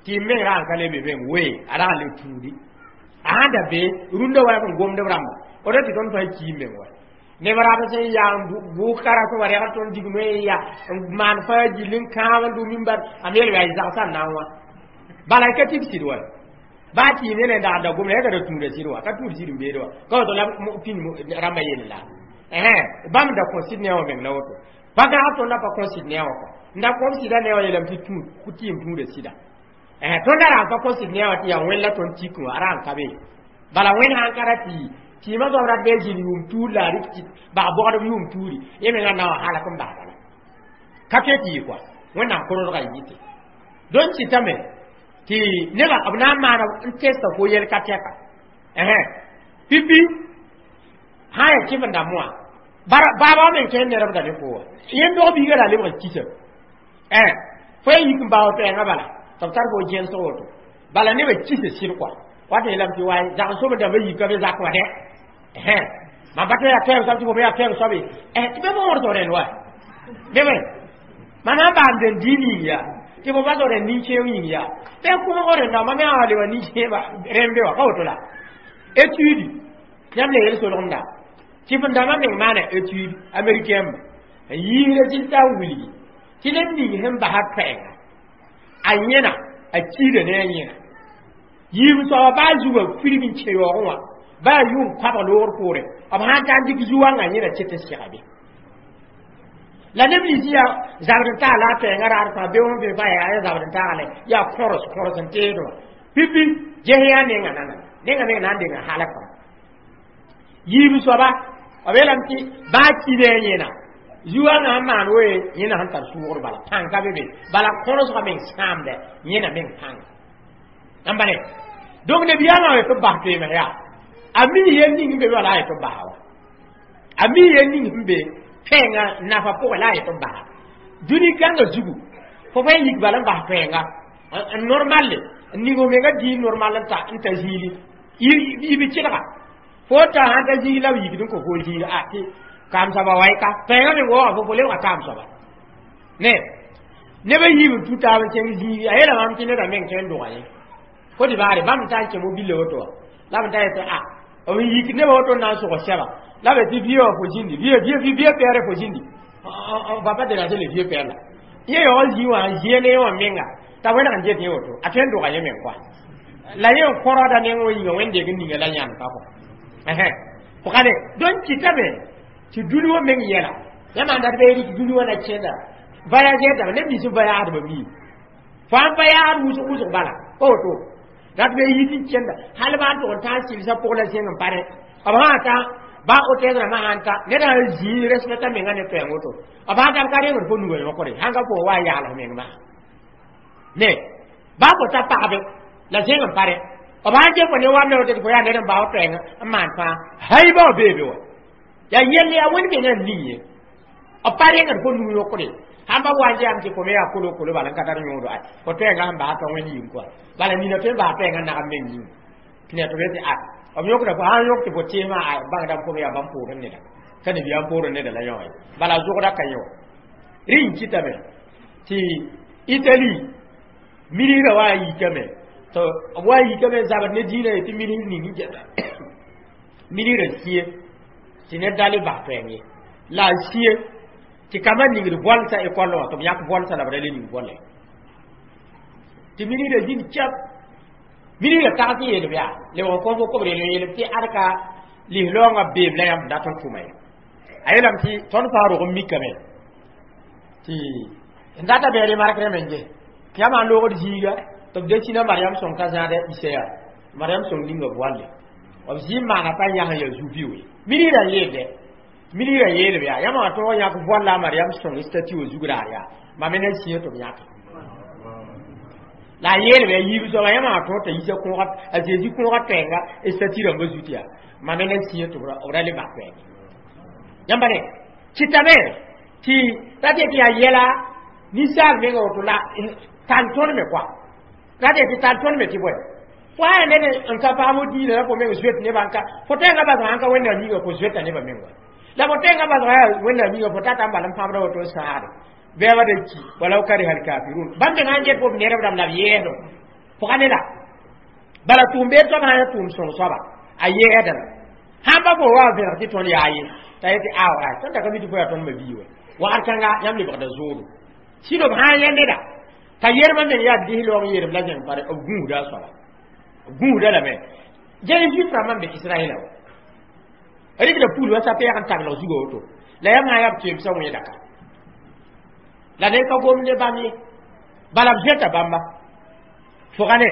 tɩ y meng ra n ka le be meng wee a ra n le tuudi a sãn da be rũndã wa sẽn gomd b rãmba woto tɩ tõnd fãa kii meng wa neb rab sẽn yaa bʋʋg kara sẽn wa rɛgd tõnd dig noe ya n maan fãa gill n kãab n dʋ mimbar a me yel yaa y zagsã n na n wã bala y ka tɩ b sɩd wa baa tɩ y ne ne dag da gomda ya ka da tũuda sɩd wa ka tũud sɩd n beede wa ka woto la pĩnd rãmbã yell la bãmb da kõ sɩd ne wã meng la woto pa gãag tõndã pa kõ sɩd ne wã kɔ n da kõm sɩda ne wã yeelame tɩ tɩ yem tũuda sɩda tõnda ra n pa kõ sɩd ne wã tɩ yaa wẽn la tõnd tik wã a ra n ka be bala wẽnd sãn ka ra tɩ tɩɩmã soab rat bee zĩnd yʋʋm tuur la a rɩk tɩ bag bogdb yʋʋm tuuri yẽ mengã na wa halak n bas bala ka tõe tɩ yɩ kɔa Wẽnnaam korodga y yɩte donc tɩtame tɩ nebã b na n maana n testa fo yɛl ka tɛka pipi sã n yaa kɩf n dãmb wã baaba meng kẽer nedbda ne fo wa yẽnd dog biiga la lebg kisa fo ya yik n bao pɛɛngã bala tɩ b tar fo gẽnsg woto bala nebã kisa sɩd kɔa wat yeelame tɩ waay zag-n-sob dãmbã yika be zak wã dɛ. Hein ma ba ya tɛm soab tɩ fo me yaa tɛm soabe tɩ be fo wõr rẽnd wa be me mam sãn baam den dĩin yĩng yaa tɩ fo bas rẽnd nin-kẽeg yĩng yaa bɩ kʋmg rẽnda mam yaa leba nin-kẽeba rẽnd be wa ka woto la étude yãmb le yel solgemda tɩ f dãmbã meng maana étude américain n yiis résultat n wilgi tɩ ned ning sẽn basa toɛɛnga a yẽna a kiida ne a yẽna yiib soaba baa zugã firg n kẽ yaoogẽ wã baa yʋʋm koabg loogr poore b sãn ta n dɩk zu-wãngã yẽna ket n sega be la neb nins yaa zabd n taag la a toɛɛngã raad fãa be wã be fa yaa zabd n taagale yaa kõrs kõrs n teed wã pipi ges yaa nenga nana nenga meng na n denga halka yiib soaba b yeelame tɩ baa kida a yẽna zu-wãngã sẽn maan woe yẽna sẽn tar sʋʋgr bala pãng ka be be bala kõrsgã meng sãamdɛ yẽna meng pãnga n bale donc nabiyaamã wa tɩ b bas toeemã yaa a mi yel ning n be wala a yetɩ b basa wa a mi yel ning sẽn be toɛɛngã nafa pʋgẽ la a yetɩ b basa dũni kãngã zugu fo fa yik bala n bas toɛɛnga n normal n ning f menga dĩin normal n ta zĩili y bi kelga fo ta sãn ta zĩig la b yikd n kõ fo zĩig a tɩ kaam soaba wa ka toɛɛngã meng waoogã fo lebga kaam soaba ne neb a yiib n tu taab n kẽng zĩigi a yeela mam tɩ neda meng tõe n dʋga yẽ Côte d'Ivoire bãmb n ta n kẽ mobile woto wã la b n ta yetɩ a b n yik nebã woto n na n sʋg sɛba la b tɩ vieux wã fo zĩndi vieux vieux vieux père fo zĩndi on va pas déranger le vieux père là yẽ yaoog zĩ wã n zĩa ne wã menga t'a wẽneg n get yẽ woto a tõe n dʋga yẽ meng koa la yẽ n kõrda neng wã yĩnga wẽndeeg n ninga la yãnd ka kɔ pʋgane donc kɩtame tɩ dũni wã meng yɛla yãmb n dat bɩ rɩk dũni wã na kẽnda voyager dãmb neb nins n voyaadbã mii fo n voyaad wʋsg wʋsg bala pa woto rat be yit n kẽnda hal baa n tʋg n tã n sɩlsã pʋg la zẽng n pa rẽ b sã ta ba hôtel rãmbã sãn ta ned sã n zĩig respecta menga ne toɛɛng woto b sãn ta b ka rengd fo nugã yõkre sãn ka fo wa n yaals meng maa ne baa fo ta pagbe la zẽng n pa rẽ b sãn get fo ne wamda woto tɩ fo yaa ned n bao toɛɛngã n maan fãa hay bao beebe wa yaa yell yaa wẽnd mengã n ning ye b pa rengd fo nug yõkre sãn ba wa n yam tɩ fo me yaa kolo kolo bala n ka tar yõodo ay fo toɛɛngã sẽn basa t'a wẽnd yĩng koa bala nina tõe n basa toɛɛngã nagam meng yĩng tɩ ne tɩ b yetɩ a b yõkda fo sãn yõk tɩ fo teesmã a bãngdame fo me yaa bãmb poorẽ neda ka nabiyaam poorẽ neda la yõ ye bala zʋgda ka yẽ wa rẽ n kɩtame tɩ Italie ministrã wa n yikame tɩ b wa n yikame n zabd ne dĩinã ye tɩ ministr ning n geta ministrã sĩe tɩ ned da le bas toɛɛng ye la a sĩe tɩ kambã ningd voalsã école wã tɩ b yãk voalsã la b ra le ning voala tɩ ministrã zĩnd kɛb ministrã tags n yeelb yaa lebg n kõ fo kobr yel n yeelb tɩ ad ka lislaoongã beem la yãmb dat n tʋma ye a yeelame tɩ tõnd fãa rog n mikame tɩ n data bɩ remarque rẽmb n ges tɩ yãmb sãn loogd zĩiga tɩ b desina Mariam sõng t'a zãada isa yaa Mariam sõng ninga voale b zĩ n maana t'a yãs n yaa zu-bioo ye ministrã n yeelde ministrã yeelb yaa yãmb wã tõog yãk voal la a Mariam sõng statue wã zug raar yaa mam me na sĩyã tɩ b yãke la a yeelb yaa yiib soaba yãmb wã tõog t'a yisa kõoga a Zezi kõoga toɛɛnga statue rãmbã zut yaa mam me na sĩyã tɩ b ra le bas toɛɛnge yãmba ne kɩtame tɩ ra tɩ yaa yɛla ninsaal menga woto la tar tõnd me koa ra tɩ tar tõnd me tɩ bõe fo yaa ned n ka paam diinã la fo meng zoet nebã n ka fo tẽngã basga sãn ka wẽnnaam yĩnga fo zoeta nebã meng wa la fo tẽngã basga yaa wẽnnaam yĩnga fo tata n bal n pãabda woto n sãagde bɛɛba da ki walaw kariha alkafirun bãmb meng sãn get fo b nedb rãmb la b yɛɛsdo pʋga ne la bala tʋʋm-beed soab sã n yaa tʋʋm sõng soaba a yɛɛsda la sãn pa fo wa vẽneg tɩ tõnd yaa ye t'a yetɩ aw a tõnd da ka mi tɩ fo yaa tõnd mabii wa wagd kãnga yãmb lebgda zoodo sɩd b sã n yẽ neda t'a yermã meng yaa disloog yerem la zẽng pare b gũusda a soaba b gũusda lame gẽn juif rãmbã n be Israɛla wa rɩkda pul wa sapɛɛg n taglg zuga woto la yãmb sã n yaa b toeemsã wẽeda ka la ned ka gom ne bãmb ye bala b zoeta bãmba fʋga ne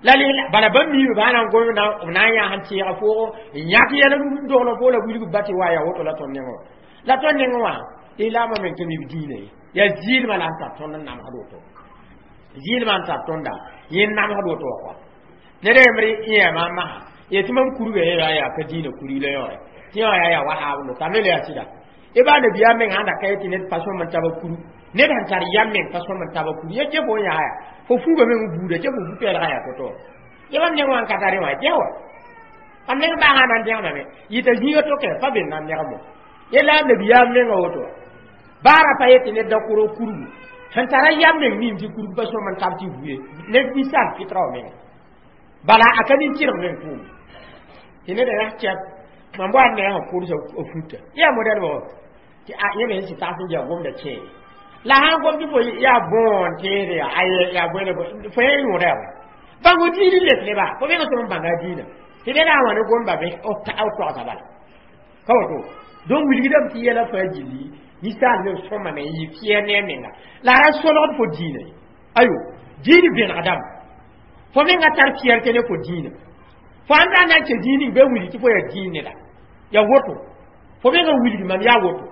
la bala bãmb miime baa na n gom b na n yãas n tẽega foogo n yãk yɛl n dogl fo la wilg ba tɩ wa yaa woto la tõnd nengẽ wã la tõnd nengẽ wã islaamã meng tɩ mi b dĩinã ye yaa zɩɩlmã la n tar tõnd n namsd woto zɩɩlmã n tar tõnda yẽ n namsd woto wã kɔa ned yembr yẽema n masa yetɩ mam kurga ye yaa yaa ka dĩinã kurg la yõore tɩ yã yaa yaa wahaabndo tame la yaa sɩda y baa nabiyaam meng sãn da ka yetɩ ned pa sõm n taba kuru ned sẽn tar yam meng pa sõm n taba kuru ye tɩ fo n yaa yaa fo fuuga meng buuda tɩ fo fu-pɛɛlgã yaa to-to ye bãmb neng wã n ka tare wã gɛ wa Am meng baa sã na n dẽgmame yɩta zĩiga to kɛ pa be n na n negmo yella a nabiyaam menga woto baara pa yetɩ ned da kʋrg kurgu sẽn tara yam meng mim tɩ kurg pa sõm n tab tɩ vuye ned ninsaal fɩtra wa menga bala a ka nin-tɩrg meng pʋʋm tɩ ned yaa kɛp mam wa ne sẽn kʋrsa a futa yaa modɛlbã wa tɩ a yẽ me sẽn tags n yaa gomda kẽere la sãn gom tɩ fo yaa bõon teede yaa aye yaa bõe fo yẽ yõoda yaa bãng fo diir n let neba fo meng sõm n bãnga a diinã tɩ ned a wã ne gomba be b toagsa bala ka woto donc wilgdame tɩ yɛla fãa gilli ninsaal me sõmame n yɩ fɩɛr ne a menga la a ra solgd fo diinã ye ayo diin vẽnegdame fo menga tar fierté ne fo diinã fo ãn ra na n kẽ zĩig ning bɩ wilg tɩ fo yaa diin neda yaa woto fo menga wilg mam yaa woto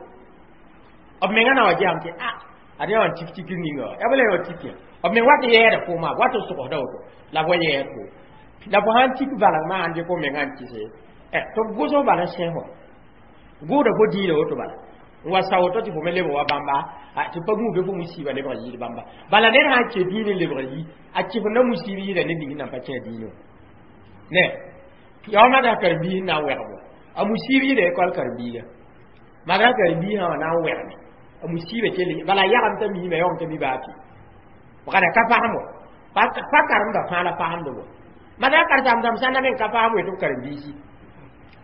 b menga na wa gesame tɩ a ad yã wã n tik tikr ninga wa yaa bala yã wã tik yã b meng wat n yɛɛda pʋʋmã wat n sogsda woto la b wa yɛɛd fo la fo sãn tik valengmã sãn dɩk fo menga n kɩse tɩ b gʋsg bala n sẽs wa gʋʋda fo diinã woto bala n wa sa woto tɩ fo me lebg wa bãmba tɩ pa gũu be fo musiiba lebg yɩɩd bãmba bala ned sãn kẽ diin n lebg yi a kɩsenda musiib yɩɩda ned ning nan pa kẽ diinã ne yaa wa karen-biis n na n wɛgb wa a musiib yɩɩda école karen-biiga madrasa karen-biisã wã na n wɛgme a musiiba kell bala a yagem t'a miime yõng t'a mi baa tɩ wagda ka pasem wa pa karemda fãa la pasemd wa madrasa karen-sãmbdãmb sã na meng ka pasem wetɩ b karen-biisi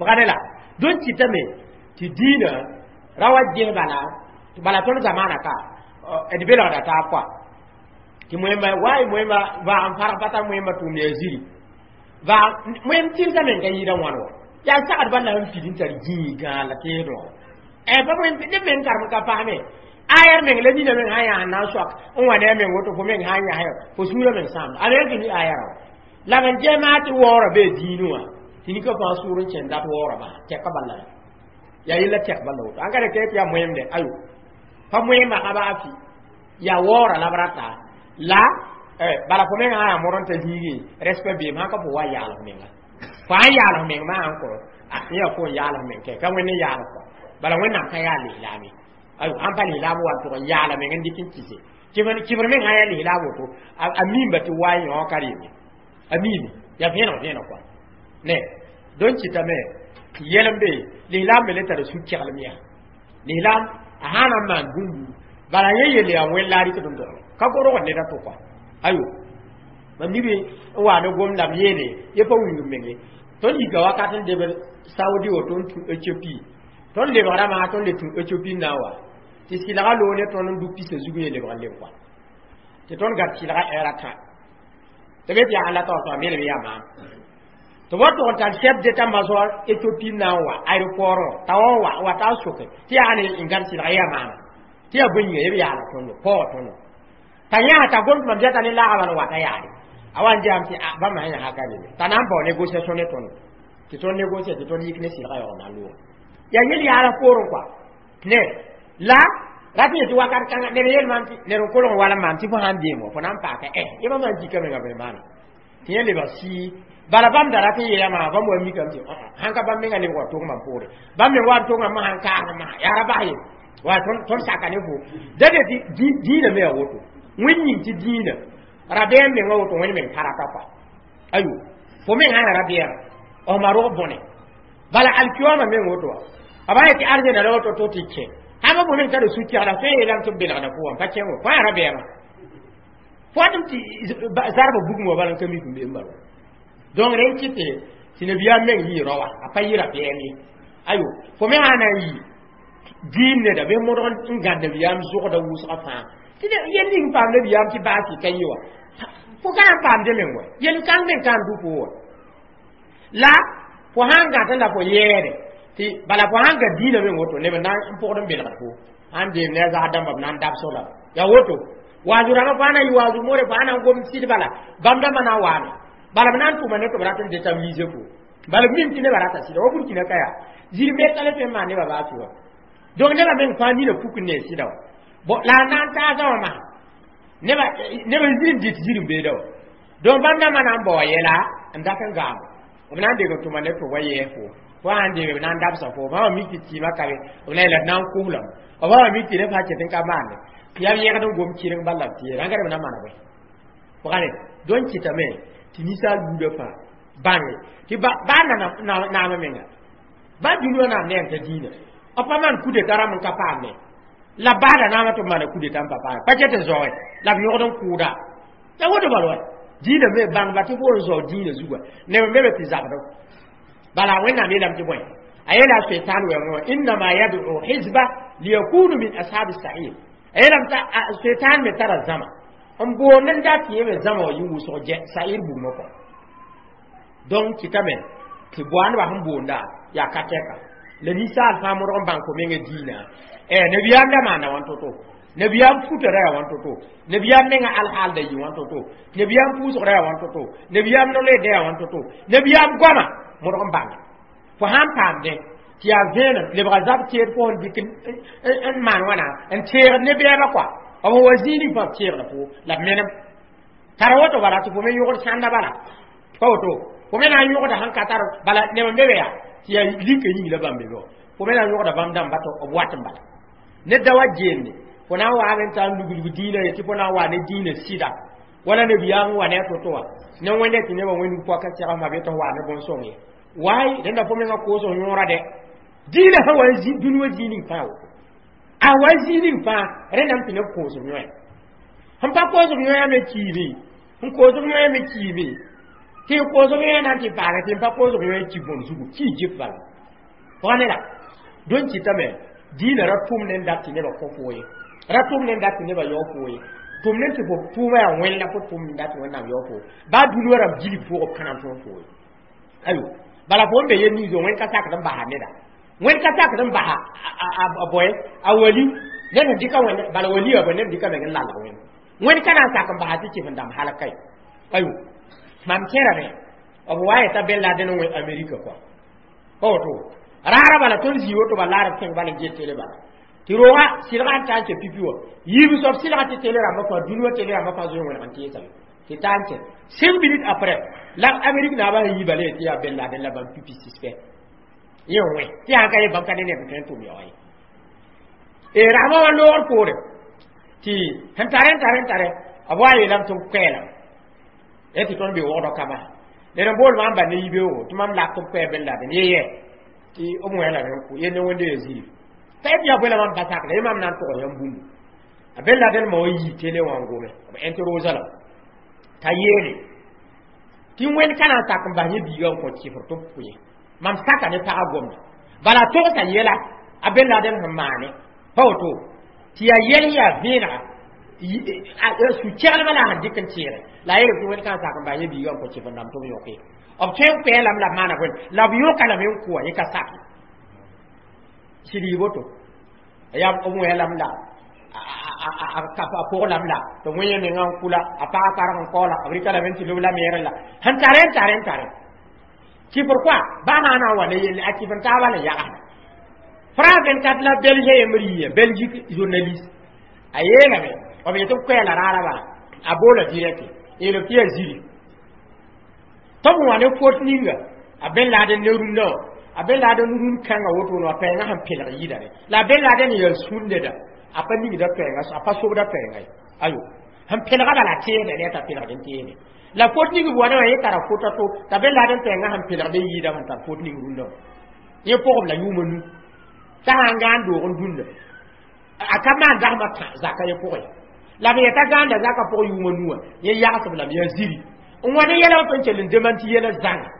wagda la dõn kɩtame tɩ diinã ra wa ges bala bala tõnd zamaana ka d belgda taab kɔa tɩ moẽmba waay moẽmba vaag n farg pa tar moẽmba tʋʋm yaa ziri vaag moẽm tɩrsa meng ka yɩɩda wãn wa yaa sagd bala sẽn pid n tar gĩig gãag la teedõ pa neb meng karem ka pasme ayar meng la nina meng sã yaa n na n soak n wa ne a meng woto fo meng sã n yas fo sũurã meng sãamda a meng tɩ mi ayara wa la b n ges maa tɩ waoorã bee diinẽ wã tɩ nika fãa sʋʋr n kẽnd dat waoorã basa tɛka bala yaa yella tɛk bala woto ãn ka rẽ tɩ yaa moẽmde ayo pa moẽmba ka baa fɩ yaa waoorã la b rata la bala fo meng sã yaa modg n ta zĩigẽ respect beem sãn ka fo wa yaal f menga fo sãn yaal f meng maa n kõ yaa fo n yaal f meng kɛ ka wẽnd n yaal kɔ bala wẽnnaam ka yaa lislaame ayo sãn pa lislaam wa n tʋg n yaala meng n dɩk n kɩse kɩbr meng sã yaa lislaam woto a miimba tɩ wa yõ ka reme a miime yaa vẽeneg vẽeneg kɔa ne donc kɩtame yɛl n be lislaam me le tara su-keglem yaa lislaam a sã na n maan bũmbu bala yẽ yelle yaa wẽn la a rɩkd n dogl ka gorg neda to kɔa ayo mam nibe n wa ne gom la m yeele ye pa wilg menge tõnd yika wakat n debd Saudi woto n tũ Éthiopie tõnd lebgrã maa tõnd le tũ Éthiopie n na n wa tɩ sɩlga loog ne tõnd n dʋ pisa zug ye lebg n leb kɔa tɩ tõnd gat sɩlga ɛɛra tã tɩ be tɩ yaa la taoor tɩ me yaa maam tɩ b wa tʋg n tar chef d'état-major Éthiopie n na n wa aéroport wã t'a wa wa wa t'a soke tɩ yaa ne n gãd sɩlga yaa maama tɩ yaa bõe yĩnga yeb yaala tõndo paoog tõndo t'a yãs t'a gom tɩ mam zata ne laaga bala wata yaare a wa n gesame tɩ bãmb sã yãsga ka reme t'a na n bao négociation ne tõndo tɩ tõnd négocier tɩ tõnd yik ne sɩlga yaoog na n loog yaa yel yaala poorẽ kɔa ne la rat yetɩ wakat kãngã ned yel maam tɩ ned n kolg n wala maam tɩ fo sãn deem wa fo na n paaka yẽ bãmb sã n zika menga bõe maana tɩ yẽ lebg sii bala bãmb da rat n yeela maa bãmb wa mikame tɩ sãn ka bãmb menga lebg wa tog mam poore bãmb meng wa n togã ma sãn kaasd maa yaa ra bas ye wa tõnd saka ne fo da de tɩ diinã me yaa woto wẽnd yĩng tɩ diinã rabeem menga woto wẽnd meng karata kɔa ayo fo meng sã ya rabeɛɛm f ma rog bõne bala alkiyoma meng woto wa b sã yetɩ arzɛna la woto to tɩ kẽ sãn fo meng tara su-kɛgda tõe n yeelame tɩ b belgda fo wã pa kẽng fo yaa rabeɛɛmã fo wat tɩ zarbã bugum wa bala n ka mik n be n bala donc rẽ n kɩte tɩ nabiyaam meng yɩ raowa a pa yɩ rabeɛɛm ye ayo fo me sã na n yɩ diin neda bɩ modg n gãd nabiyaam zʋgda wʋsgã fãa tɩ yel ning paam nabiyaam tɩ baasi ka yɩ wa fo ka na n paamde meng wa yel kãng meng ka n dʋ fo wa la fo sã n gãtẽ la fo yɛɛde tɩ bala fo sã n ga diinã meng woto neb na n pʋgd n belgd fo sãn deem ne a zag dãmba b na n dabs la yaa woto waazʋ rãmbã fo sã na n yɩ waazʋ moore fo sã na n gom sɩd bala bãmb dãmbã na n waame bala b na n tʋma ne tɩ b rat n déstabiliser fo bala b mim tɩ nebã rata sɩda wa Burkina ka yaa zir metã la tõe n maan nebã baa tɩ wa donc nebã meng fãa nina puk n ne sɩda wa bon la a na n taasã wã maa neba zir n dɩt zir n beeda wa donc bãmb dãmbã na n bao yɛla n dat n gaamo b na n deg n tʋma ne tɩ wa yɛɛ fo fo sãn deeme b na n dabsa fo b sã wa mik tɩ tɩɩmã ka be b na yeela d na n koslame b sã wa mik tɩ rẽ fãa ket n ka maande tɩ yaa b yẽgd n gom kɩreng bala b tɩ yeela rãnga b na mana bõe pʋgane donc kɩtame tɩ ninsaal buudã fãa Bãnge tɩ baa naamã menga baa dũniyã naam ne n ta dĩinã b pa maan coup d'état rãmb n ka paamne la baada naamã tɩ b maana coup d'état n pa paame pa ket n zaoe la b yõgd n kʋʋda la woto bal wa dĩinã me bãngba tɩ fo n zao dĩinã zuga neb n be be tɩ zabdo bala Wẽnnaam yeelame tɩ bõe a yeela Seitan wɛoongẽ wã innama yad'u hizba liyakunu min ashabi sa'ir a yeelame t'a Seitan me tara zãma n boond n dat yẽ me zãma wã yɩ wʋsg sa'ir bugmã kɔ donc kɩtame tɩ boa nebã sẽn boonda yaa ka tɛka la ninsaal fãa modg n bãng fo mengã dĩinã nabiyaam da maanda wãn to-to nabiyaam futa ra yaa wãn to-to nabiyaam menga alhaal da yɩ wãn to-to nabiyaam pʋʋsg ra yaa wãn to-to nabiyaam no-loeeda yaa wãn to-to nabiyaam goama modg n bãnga fo sãn paamdẽ tɩ yaa vẽenem lebga zab teed fo sẽn dɩk n maan wãna n teegd ne bɛɛba kɔa b wa zĩig ning fãa b teegda fo la b menem tara woto bala tɩ fo me yõgd sãnda bala pa woto fo me na n yõgda sẽn ka tar bala neb n be be yaa tɩ yaa lika yĩng la bãmb be be fo me na n yõgda bãmb dãmba tɩ b wat n bala ned da wa geende fo na n waame n taa n luglg dĩinã ye tɩ fo na n wa ne dĩinã sɩda wala nabiyaam wa ne a to-to wã ne wẽnda tɩ nebã wẽnd poaka segl ma be tɩ f wa ne bõn-sõng ye waay rẽnda fo mengã koos f yõora dɛ dĩinã sã wa n zĩ dũni wã zĩig ning fãa woto a wa zĩig ning fãa rẽndame tɩ neb koos f yõe sẽn pa koos f yõa me kiime sẽn koos f yõa me kiime tɩ koos f yõa na n tɩ paage tɩ n pa koos f yõa ki bõn zugu ki jip bala pʋga ne la dõn kɩtame dĩinã ra tʋm ne n dat tɩ nebã kõ fo ye ra tʋm ne n dat tɩ nebã yao fo ye tʋm ne tɩ fo tʋʋma yaa wẽn la fo tʋm n dat tɩ Wẽnnaam yao fo baa dũni wã rãmb gilg pʋgb kãna tõog fo ye ayo bala fo n be yel niiso wẽn ka sakd n basa neda wẽnd ka sakd n basa a boe a wali ned sẽn dɩka wẽnd bala wali ya bõe ned dɩka meng n lalg wẽnd wẽnd ka na n sak n basa tɩ kɩf n dãmb halka ye ayo mam kẽerame b wa yeta Ben Laden n wẽ Amerika kɔa pa woto raara bala tõnd zĩ woto bala laara b kẽng bala n get tele bala tɩ rooga sɩlga n taa n kɛ pipi wã yiib soab sɩlga tɩ tele rãmbã fãa dũni wã tele rãmbã fãa zoe wẽneg n teesame tɩ taa n kɛ 5 minutes après la Amérique naabã sẽn yi bala tɩ yaa Ben Laden la bãmb pipi suspect yẽ wẽ tɩ yaa ka ye bãmb ka ne neb n tõe n tʋm yaoã ye rãmba wã loogr poore tɩ sẽn tare n tare n tare b wa yeelame tɩ b koɛɛlame ya tɩ tõnd be wogdɔ kama ned n bool maam ba ne yibeoogo tɩ mam lak tɩ b koɛɛ Ben Laden ye yɛ tɩ b wẽelame n kʋ ye ne wẽnde ya zĩig t'a yet yaa bõe la mam pa sakda ye mam na n tog yãmb bũmbu a Ben Laden ma wa yii télé wã n gome b interroge la t'a yeele tɩ wẽnd ka na n sak n bas yẽ biiga n kõ kɩfr tɩ b pʋ ye mam saka ne pagã gomda bala togsa yɛla a Ben Laden sẽn maane pa woto tɩ yaa yɛl yaa vẽenega su-kɛglmã la a sẽn dɩk n tẽege la a yeel tɩ wẽnd ka n sak n bas yẽ biiga n kõ kɩfr dãmb tɩ b yõke b tõe n koɛɛlame la b maana bõe la b yõka lame n kʋa yẽ ka sake sɩd yɩ woto yaa b wẽelame la a pʋglame la tɩ wẽ yẽ mengã n kula a pagã karg n kaoola b rɩka lame tɩ lob la meere la sẽn tare n tare n tare kɩfr koa baa na n wa ne yelle a kɩf n taaba la yagsda France 24 la Belge yembr yɩa Belgique journaliste a yeelame b yetɩ b koɛɛla raara bala a boola direct yeel tɩ yaa ziri tɩ b wã ne fot ninga a Ben Laden ne rũndã wã a Ben Laden rũnd kãngã wotone wã pɛɛngã sẽn pelg yɩɩdame la a Ben Laden yaa sũur neda a pa ningda pɛɛnga a pa sobda pɛɛnga ye ayo sẽn pelga bala teesda ne t'a pelgd n teesde la fot ning b wa ne wã yẽ tara fota to t'a Ben Laden pɛɛngã sẽn pelgd n yɩɩda sẽn tar fot ning rũndã wã yẽ pʋgb la yʋʋma nu t'a sã n gãan doog n dũnna a ka maan dasmã tã zaka yẽ pʋgẽ la b yeta gãanda zaka pʋg yʋʋma nuwã yẽ yagsb lame yaa ziri n wa ne yɛla wã tõe n kell n demanti yɛla zãnga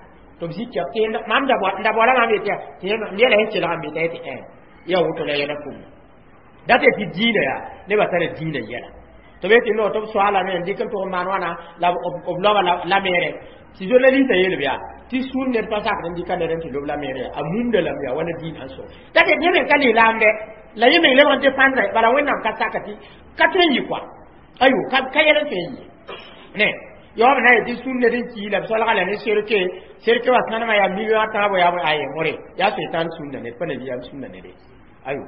tɩ b zĩ kɛb tɩ mam n da boala mam yetɩ tɩ yɛla sẽn kelga n be t'a yetɩ ẽ yaa woto la yɛla pʋgẽ dat tɩ dĩinã yaa nebã tara dĩinã yɛla tɩ b yetɩ no tɩ b soaalame n dɩk n tʋg n maan wãna la b loaba la meere tɩ journaliste yeel b yaa tɩ sũur ned pa sakd n dɩka ned n tɩ lob la meere a mumda lame yaa wala dĩinã n so dat tɩ yẽ meng ka lislaam dɛ la yẽ meng lebg n défendre bala Wẽnnaam ka saka tɩ ka tõe n yɩ koa ayo ka yɛl n tõe n yɩ ne yaob na yetɩ sũur ned n kii la b solga la ne cercueil cercueil wa sãnemã yaa million a tãabo yaa aye more yaa Sʋɩtãan sũnda ned pa nabiyaam sũnda nede ayo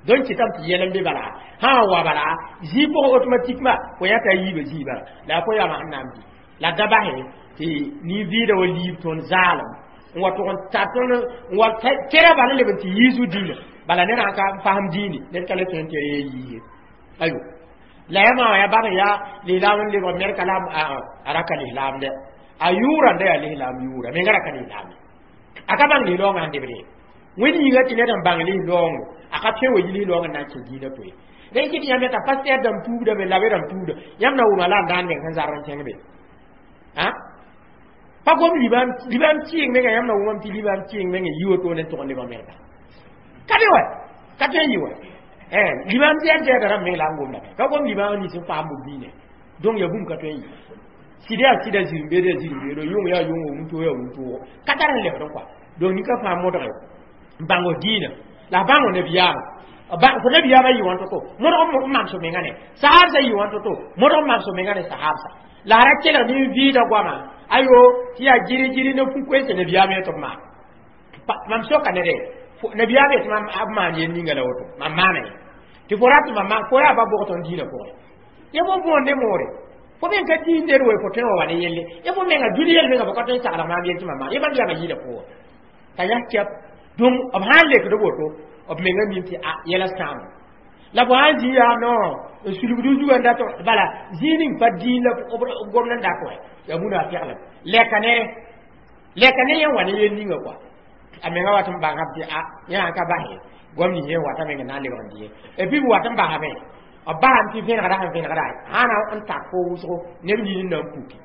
donc kɩtame tɩ yɛl n be bala sã n wa bala zĩig pʋgẽ automatiquement fo yãta a yiibã zĩig bala la a fo yama sẽn na n bɩ la da basɛ tɩ nin-vɩɩda wa liib tõnd zaalem n wa tʋg n tar tõnd n wa kera bala leb n tɩ yiisu dĩinã bala ned sã ka fasem dĩini ned ka le tõe n tɩ ya yiise ayo la ya maa ya bag ya lislaam n lebg Amerika la a ra ka lislaam dɛ A yʋʋra n da yaa lislaam yʋʋra menga ra ka lislaam a ka bãng lislaoongã n debde wẽnd yĩnga tɩ ned n bãng lislaoongo a ka tõe wa yi lislaoongã n na n kẽ diinã poe rẽ kɩ tɩ yãmb yeta pasteur dãmb tuubdame la be dãmb tuubda yãmb na wʋma la n daan meng sẽn zar n kẽng be a pa gom libaam kɩɩng menga yãmb na wʋmame tɩ libaam kɩɩng meng n yi woto ne tʋg n lebg mengda ka be wa ka tõe n yɩ wa libaam zɛɛd zɛɛda rãmb meng la n gomda ka gom libaam nins n paam b biine donc ya bũmb ka tõe n yɩ sɩd yaa sɩda zirẽ-beed yaa zirẽ-beedo yʋng yaa yʋngo wũntoo yaa wũntoogo ka tar n lebd n kɔa donc nin-ka fãa modge n bãng f diinã la f bãng nabiyaamã fo nabiyaamã yɩ wãn to-to modg n mam so menga ne sahabsã yɩ wãn to-to modg n mam so menga ne sahabsã la a ra kelg nin-vɩɩda goama ayo tɩ yaa giri-giri ne fu-koeesã nabiyaamã tɩ b maan mam soka nede nabiyaamã tɩ mam b maan yel ninga la woto mam maana ye tɩ fo rat mam maan fo yaa ba bʋg tõnd diinã pʋgẽ ya fo võor ne moore fo men ka diin ned we fo tõe wã wa ne yelle ya fo menga dũni yel menga fo ka tõe n sagl maam yel tɩ mam maan ya bãmb yaama yɩɩda pʋgã t'a yas kɛp donc b sã n lekd woto b menga mim tɩ a yɛla sãamo la fo sãn zĩ yaa no n sulgd zugã n dat bala zĩig ning pa diin la b gomd n dat wɛ yaa munafɩglem lɛka nere lɛka ne yẽ wa ne yel ninga kɔa a menga wat n bãngame tɩ a yẽ sãn ka basɛ goam nins yẽ wata meng n na n lebg n dɩ ye et puis b wat n basame b basame tɩ vẽnegra sẽn vẽnegra sãna n tak fo wʋsgo neb nin n na n puki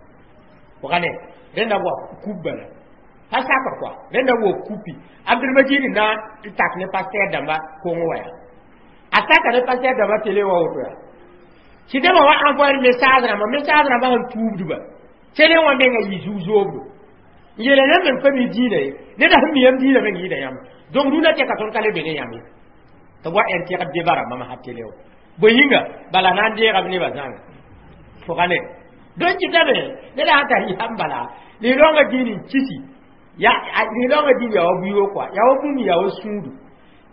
pʋga ne rẽnda wa kup bala pa sakr kɔa rẽnda wa kupi Abdulmajid na n tak ne pasteur dãmba kongo wa yaa a saka ne pasteur dãmba télé wa woto yaa tɩ nebã wa envoyer message rãmba message rãmba sẽn tuubdba télé wã menga yɩ zug-zoobdo n yeela yãmb meng pa mi diinã ye neda sẽn mi yãmb diinã meng yɩɩda yãmb donc rũnã tɛka tõnd ka le be ne yãmb ye tɩ wa ɛn tɛgd deba rãmbã masã télé wã bõe yĩnga bala na n deegame nebã zãnga fʋga ne donc kɩtame neda sãn tar yam bala lislaoongã diin n kisi ya lislaoongã diin yaa wa buioo kɔa yaa wa bũmb yaa wa sũudu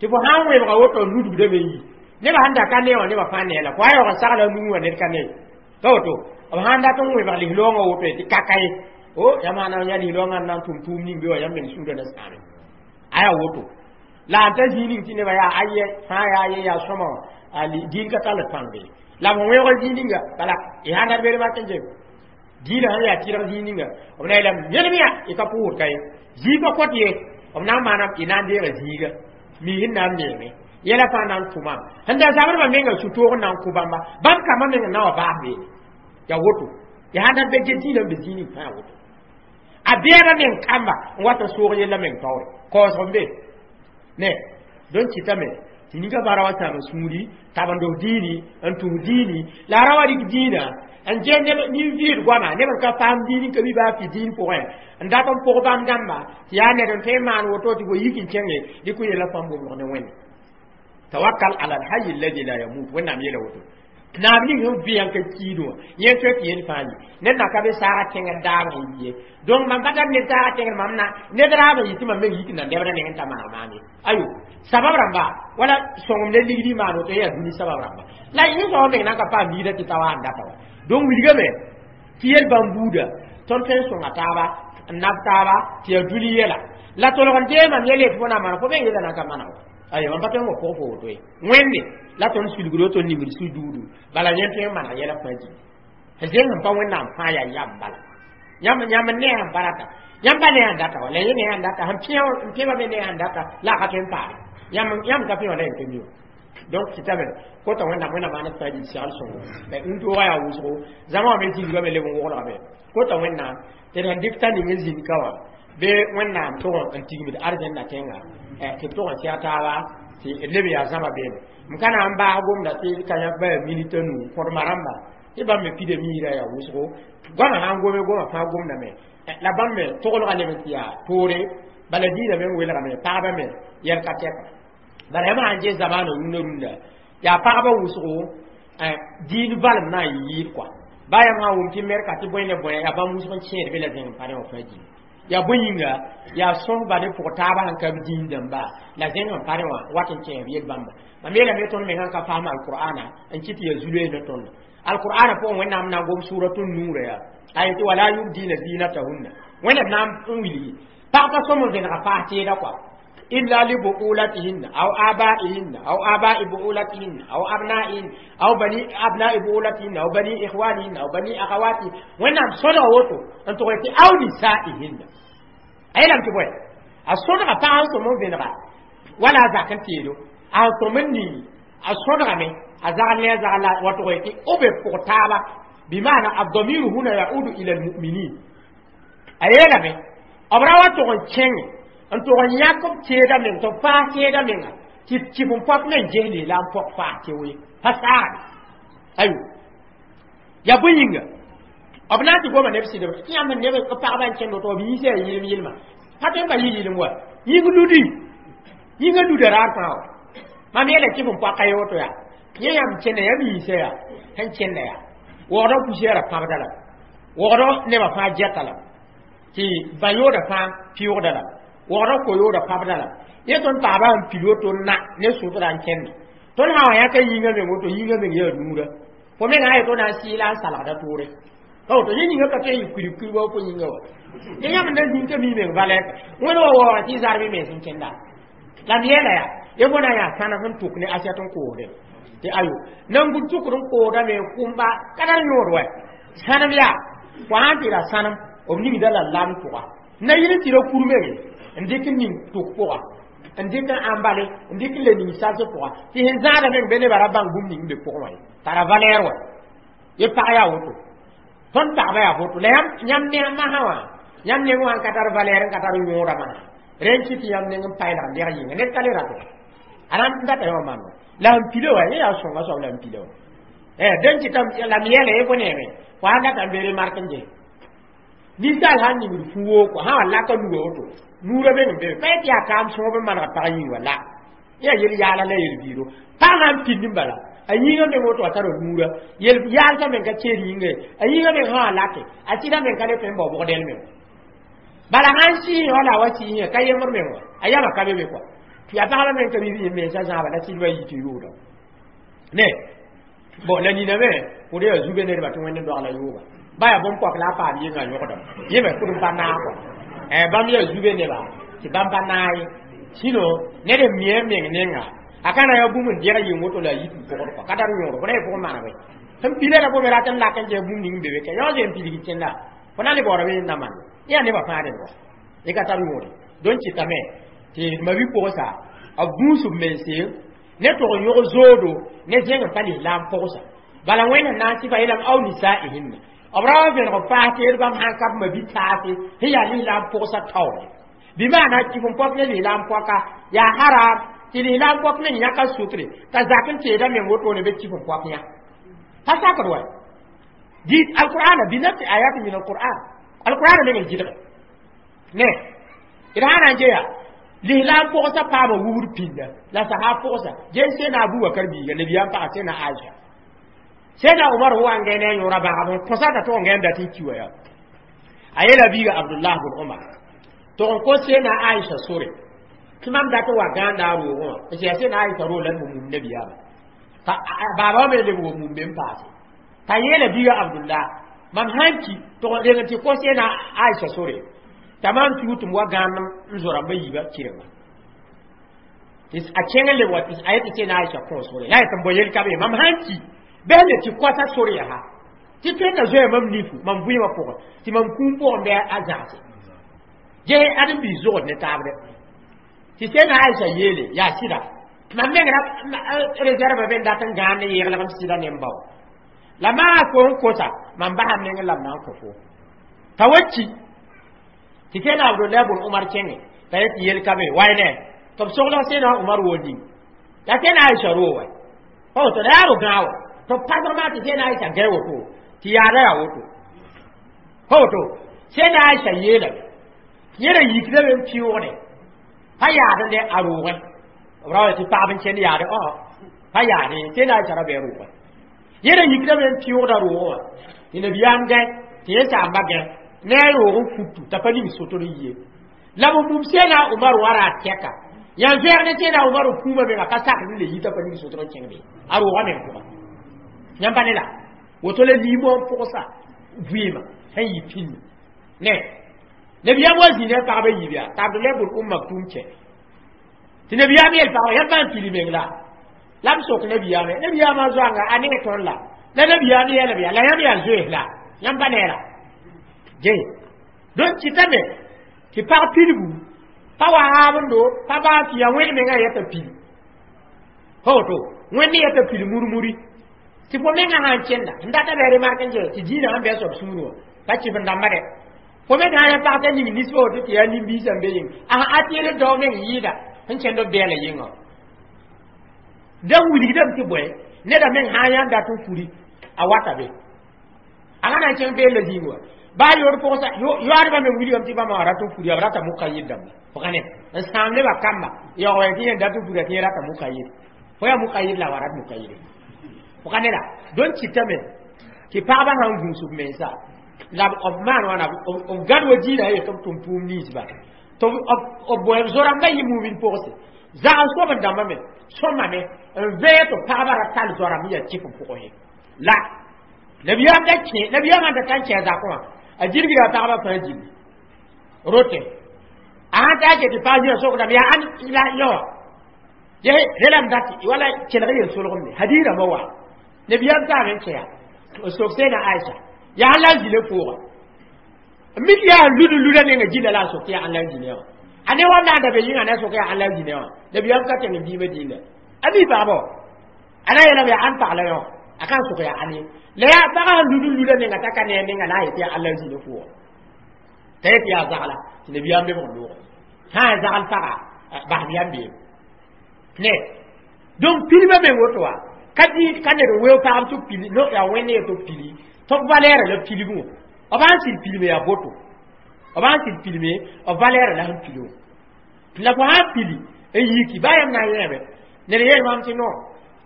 tɩ fo sãn wẽbga woto nudbdame n yi nebã sẽn da ka ne wã nebã fãa nee la fo a yaoog n sagla nuu wã ned ka ne ka woto b sãn dat n wẽbg lislaoongã woto tɩ kaka ye o yãmb sã na n yaa lislaoongã n na n tʋm tʋʋm ning be wã yãmb meng sũurã na sãame a yaa woto la n ta zĩig ning tɩ nebã yaa ayɛ fãa yaa ayɛ yaa sõma wã diin ka tall pãng be la b wẽoog zĩig ninga bala y sãn dat beere mak n jem diinã sãn yaa tɩrg zĩig ninga b na yeelame yelem yaa y ka pʋʋsd ka ye zĩigã kõt ye b na n maana y na n deega zĩiga miis n na n meeme yɛla fãa na n tʋmam sẽn da zabrã menga sũ-toog n na n kʋ bãmba bãmb kambã meng n na wa baas beene yaa woto ya sãn dat be get diinã n be zĩig ning fãa woto a beebã meng kamba n wat n soog yella meng taoore kaoosg n be ne donc kɩtame tɩ ninga fãa ra wa sãam sũuri tab n dos diini n tũs diini la a ra wa rɩk diinã n ges nin-vɩɩd goama neb n ka paam diin n ka mi baa fɩ diin pʋgẽ n dat n pʋg bãmb dãmba tɩ yaa ned n tõe n maan woto tɩ fo yik n kẽnge dɩk yella fãmb wobg ne Wẽnde tawakkal ala alhayy alladhi la yamut Wẽnnaam yeela woto naab ning sẽn vɩ n ka kiidẽ wã yẽ tõe tɩ yel fãa yi ned na ka be saaga tẽngr daab sẽn yi ye donc mam pa tar ned saaga tẽngr mam na ned raab n yɩ tɩ mam meng yik n na nebra neng n ta maag maam ye ayo sabab rãmba wala sõngem ne ligdi maan woto yaa dũni sabab rãmba la yẽ soab meng na n ka paam yiida tɩ ta wa n data wa donc wilgame tɩ yel bãmb buuda tõnd tõe n sõnga taaba n nab taaba tɩ yaa dũni yɛla la tolg n dee mam yɛl yetɩ fo na mana fo meng yɛla na n ka mana wa ayo mam pa tõe n wa pʋg fo woto ye Wẽnde la tõnd sulgdo tõnd ningd su-duudu bala yẽ tõe n maneg yɛla fãa zĩig zeng sẽn pa Wẽnnaam fãa yaa yam bala yãmb yãmb ne sẽn pa rata yãmb pa ne sẽn data wa la yẽ ne sẽn data sẽn pẽ n pẽba me ne sẽn data la a ka tõe n paame yãmb yãmb ka pẽ wã la yẽ pa mi wã donc kɩtame kota Wẽnnaam Wẽnnaam maan fãa zĩig segl sõngo la n toogã yaa wʋsgo zãma wã me zĩigame leb n woglgame kota Wẽnnaam tɩ d sẽn dɩk t'a ning n zĩnd ka wã be Wẽnnaam tʋg n tigimd arzẽnda tẽnga tɩ b tʋg n sɛg taaba tɩ d leb yaa zãma beene m ka na n baas gomda tɩ ka yã ba minita nu kõdma rãmba tɩ bãmb me pida miirã yaa wʋsgo goamã sãn gome goma fãa gomdame la bãmb me toglga leb n tɩ yaa toore bala diinã meng welgame pagbã me yɛl ka tɛka bala yãmb sãn ges zamaana rũndã rũndã yaa pagbã wʋsgo diin valem na n yɩɩd kɔa baa yãmb sã n wʋm tɩ merka tɩ bõe ne bõe yaa bãmb wʋsg n kẽed be la zẽng n pa ne wã fãa dĩm yaa bõe yĩnga yaa sõsba ne pʋg taabã sẽn ka b diin dãmba la zẽng n pa ne wã wat n kẽes b yel bãmba mam yeelame tõnd mengã n ka paam alqur'ana n kɩ tɩ yaa zu-loees ne tõndo alqur'ana pʋgẽ Wẽnnaam na n gom suuratu nuurã yaa a yetɩ wala yubdina zinatahunna Wẽnnaam na n wilgi pag pa sõm n vẽnega paas teeda kɔa Illa li bu'ulatihinna aw aba'ihinna aw aba'i bu'ulatihinna aw abna'ihinna aw bani abna'i bu'ulatihinna aw bani ikhwanihinna aw bani akhawati. Wẽnnaam sõdga woto n tʋg tɩ aw nisaihinna. A yeelame tɩ bõe a sõdga pag n sõm n vẽnega wala a zak n teedo a sõm n ning a sõdgame a zagl ne a zagl la wa tʋg tɩ b be pʋg taaba. Bimana الضمير هنا يعود إلى المؤمنين. A yeelame b ra wa tʋg n kẽnge n tʋg n yãk b teeda meng tɩ b paas teeda menga tɩ kɩf n pɔp me n ges lislaam pɔg faas tɩ we pa saagde ayo yaa bõe yĩnga b na n tɩ goma neb sɩdb tɩ yãmb neb b pagba n kẽnd woto b yiisa yaa yɩlem yɩlma pa tõe n pa yɩ yɩlem wa yĩng ludi yĩngã luda raar fãa wa mam yeela kɩf n pɔka ye woto yaa yẽ yãmb kẽnda yãmb yiisa yaa sẽn kẽnda yaa waoogdã poussière pãbda la waoogdã nebã fãa gɛta la tɩ bã-yooda fãa pɩʋgda la waoogdã ko-yooda pãbda la yẽ tõnd paaba sẽn pil woto na ne sʋtda n kẽnda tõnd sã wa yãka yĩngã meng woto yĩngã meng yaa nuura fo mengã a yeto na n sɩɩla n salgda toore pa woto yẽ yĩngã ka tõe n yɩ kurib kurib wa fo yĩngã wa yẽ yãmb na zĩng ka mi meng valɛɛk wẽnd wa waoogã tɩ zarb y mens n kẽnda la m yeela yaa ye fo na n yaa sãnem sẽn tʋk ne asɛt n koosde tɩ ayo nan-gud tʋkd n koodame kʋmba ka tar yõod wa sãnem yaa fo sãn tɩ ra sãnem b ningda la lam tʋga na yɩl tɩ ra kur menge n dɩk n ning tʋk pʋga n dɩk n ãmbale n dɩk n le ning sals pʋga tɩ sẽn zãada meng be nebã ra bãng bũmb ning n be pʋgẽ wã ye tara valɛɛr wa ye pag yaa woto tõnd pagba yaa woto la yãmb ne masã wã yãmb neng wã n ka tar valɛɛr n ka tar yõoda masã rẽn kɩ tɩ yãmb neng n paelg n deg yĩnga ned ka le rato a na n data yã wã maam la sẽn pila wa yẽ yaa sõnga soab la n pila wa dẽn kɩtame la m yeela ye fo neeme fo sãn data n be remark n ges ninsaal sãn ningd fu-wooko sã wa laka nuga woto nuurã meng n be pa yetɩ yaa kaam sõob n maneg pag yĩng wa la yaa yel yaala la yel-biido pag sãn pĩnd n bala a yĩngã meng woto a tara nuurã yel yaalsã meng ka keed yĩnga ye a yĩngã meng sã wa lake a sɩda meng ka le tõe n bao bʋgdɛl meng bala sãn sɩɩsẽ wala wa sɩɩsẽ ka yembr meng wa a yama ka be be kɔa yaa pagba meng ka bi mensã zãaba la sɩdbã yi tɩ yʋʋda ne bon la nina me pʋd yaa zube nedbã tɩ wẽnd n dogla yʋʋba ba yaa bõn-poak la a paam yɩnga yõgdame yẽ me pʋd n pa naag kɔa bãmb yaa zube neba tɩ bãmb pa naag ye sino ned n mi a meng nenga a ka na yaa bũmb n deg yɩng woto la a yit n pʋgd kɔa ka tar yõod fo na yɩ pʋgẽ maneg sẽn pila la bome rat n lak n ges bũmb ning n be be ka yao zee n pilg kẽnda fo na le baoora be na maan yaa nebã fãa rẽnd wa y ka tar yõode donc kɩtame tɩ ma-bi-pʋgsa b gũus b mense ne tʋg n yõg zoodo ne zẽng n pa lislaam pʋgsa bala wẽnd sẽn na n sɩfa yeelame aw nisaihinna b ra wa vẽneg paas teed bãmb sãn ka b ma-bi-taase sẽn yaa lislaam pʋgsa taoore bɩ maana kɩf n pɔp ne lislaam pɔka yaa haram tɩ lislaam pɔk meng yãka sutre t'a zak n teeda meng wotone be kɩf n pɔk yã pa sakd wa dɩ alqur'ana bi nafsi ayat min alqur'an alqur'ana meng n gɩdge ne d sã na n geya lislaam pʋgsa paama wubd pĩnda la sasa pʋgsa ges sẽna Abubakar biiga nabiyaam paga sẽna Aisha sẽna Umar wa n gɛ ne a yõora bãgb n kõsa t'a tʋg n gɛ n dat n ki wa yaa a yeela biiga Abdullah bn Umar tʋg n kos sẽna Aisha sore tɩ mam dat n wa gãanda a roogẽ wã n sẽa sẽna Aisha roog la n mum nabiyaama baaba wã me leb wa mum me n paase t'a yeela biiga Abdullah mam sãn ki tʋg n reng tɩ kos sẽna Aisha sore t'a maam tɩ tɩ m wa gãand n zoa rãmbã yiibã kɩrenga tɩ a kẽng n leb wa tɩ a yetɩ sẽna Aisha kõ sore la yetɩ n bao yel ka be mam sãn ki bɩ le tɩ koasa sore yaa tɩ tõe na zoea mam nifu mam vɩɩmã pʋgẽ tɩ mam kũum pʋgẽ bɩ a zãgse ges ãdem-biis zogd ne taabdɛ tɩ sẽna Aisha yeele yaa sɩda mam meng ra réserve be n dat n gãand n yeglg m sɩda ne m ba wa la maa fo n kosa mam basa m neng la m na n kõ fo t'a wa ki tɩ sẽna Abdullah bn Umar kẽnge t'a yet yel ka be way ne tɩ b sogl sẽna Umar wo ning la sẽna Aisha roo wa pa woto la yaa ro gãag wa tɩ b pasg maa tɩ sẽna Aisha gɛ woto tɩ yaada yaa woto pa woto sẽna Aisha yeelame yẽ ra yikdame n pɩʋʋgde pa yaad ne a roogẽ b ra wa tɩ pagb n kẽnd yaade ɔ pa yaade sẽna Aisha ra bɩ a roogẽ yẽ ra yikdame n pɩʋʋgda roogẽ wã tɩ nabiyaam gɛ tɩ yẽ saamba gɛ ne a roog n futu t'a pa ning sotr n yie la b mum sẽna Umar wa ra tɛka yã vɛɛg ne sẽna Umar kũumã menga pa sakd n le yi t'a pa ning sotr n kẽng be a roogã meng pʋga yãmb pa ne la woto la liimõ n pʋgsa vɩɩmã sẽn yɩ pĩnda ne nabiyaam wa zĩ ne a pagba yiib yaa t'a Abdullah bn Maktum kẽ Tɩ nabiyaam yel pagba yãmb bãn pili meng la la b sok nabiyaame nabiyaamã zoanga a ne tõnd la la nabiyaam yeelb yaa la yãmb yaa zoees la yãmb pa neera je donc kɩtame tɩ pag pilgu pa wa haabendo pa baa tɩ yaa wẽnd mengã yeta pili pa woto wẽnd yeta pili murmuri tɩ fo mengã sãn kẽnda n data bɩ remark n tɩ dĩinã sẽn bɩ a soab sũur wã pa kɩf n dãmba dɛ fo me sã n ya pag t'a ning nisba woto tɩ yaa nin-biisã n be yĩng a atɩɩd dao meng yɩɩda sẽn kẽnd b bɛɛla yĩngã da wilgdame tɩ bõe neda meng sã n yã dat n furi a wata be a ka na n kẽng beella zĩig wã baa yoor pʋgsa yoaadbã me wilgame tɩ bãmba wã rat n furi b rata mukayid dãmba fo ka ne n sãam nebã kamba yaoog tɩ yẽ dat n fura tɩ yẽ rata mukayid fo yaa mukayid la wa rat mukayid fo ka ne la donc kɩtame tɩ pagba sãn gũus b mensa la b maan wãna b gãd wa diinã yetɩ b tʋm pʋʋm ninsba tɩ b bõe b zo-rãmbã yɩ mumin pʋgse zags soab n dãmbame sõmame n vẽe tɩ pagba ra tall zoa-rãmb n yaa kɩf n pʋgẽ la nabiyaam da kẽ nabiyaamã da ta n kẽ a zakẽ wã a gilgra a pagba fãa gilli rote a sãn ta n tɩ pag zĩã sokdame yaa ãn la yõ wã relame dat wala kelg yel-solgemde hadiis rãmbã wa nabiyaam taame n kẽa n sok seena Aisha yaa ãn la n zĩna pʋʋga mik yaa lud luda nenga gilla la a sok tɩ yaa ãn la n zĩna wã a ne wa naanda be yĩnga na sok yaa ãn la n zĩna wã nabiyaam ka tẽng n biimã dĩnda a mi pagbã wã a na yeelame yaa ãn pag la yõ a ka n sok yaa ãn ye la yaa pagã sẽn lud n luda nenga t'a ka ne a nenga la a yetɩ yaa ãn la n zĩna pʋʋga t'a yetɩ yaa zagla tɩ nabiyaam lebg n loogã sã n zagl paga basem yam beem ne donc pilmã meng woto wã ka dĩ ka ned n weoog pagb tɩ pili no yaa wẽnd ye tɩ pili tɩ b valɛɛrã la pilgẽ wã b sãn sɩd pilme yaa boto b sãn sɩd pilme b valɛɛrã la sẽn pili wã la fo sãn pili n yiki baa yãmb na n yẽeme ned yeel maam tɩ no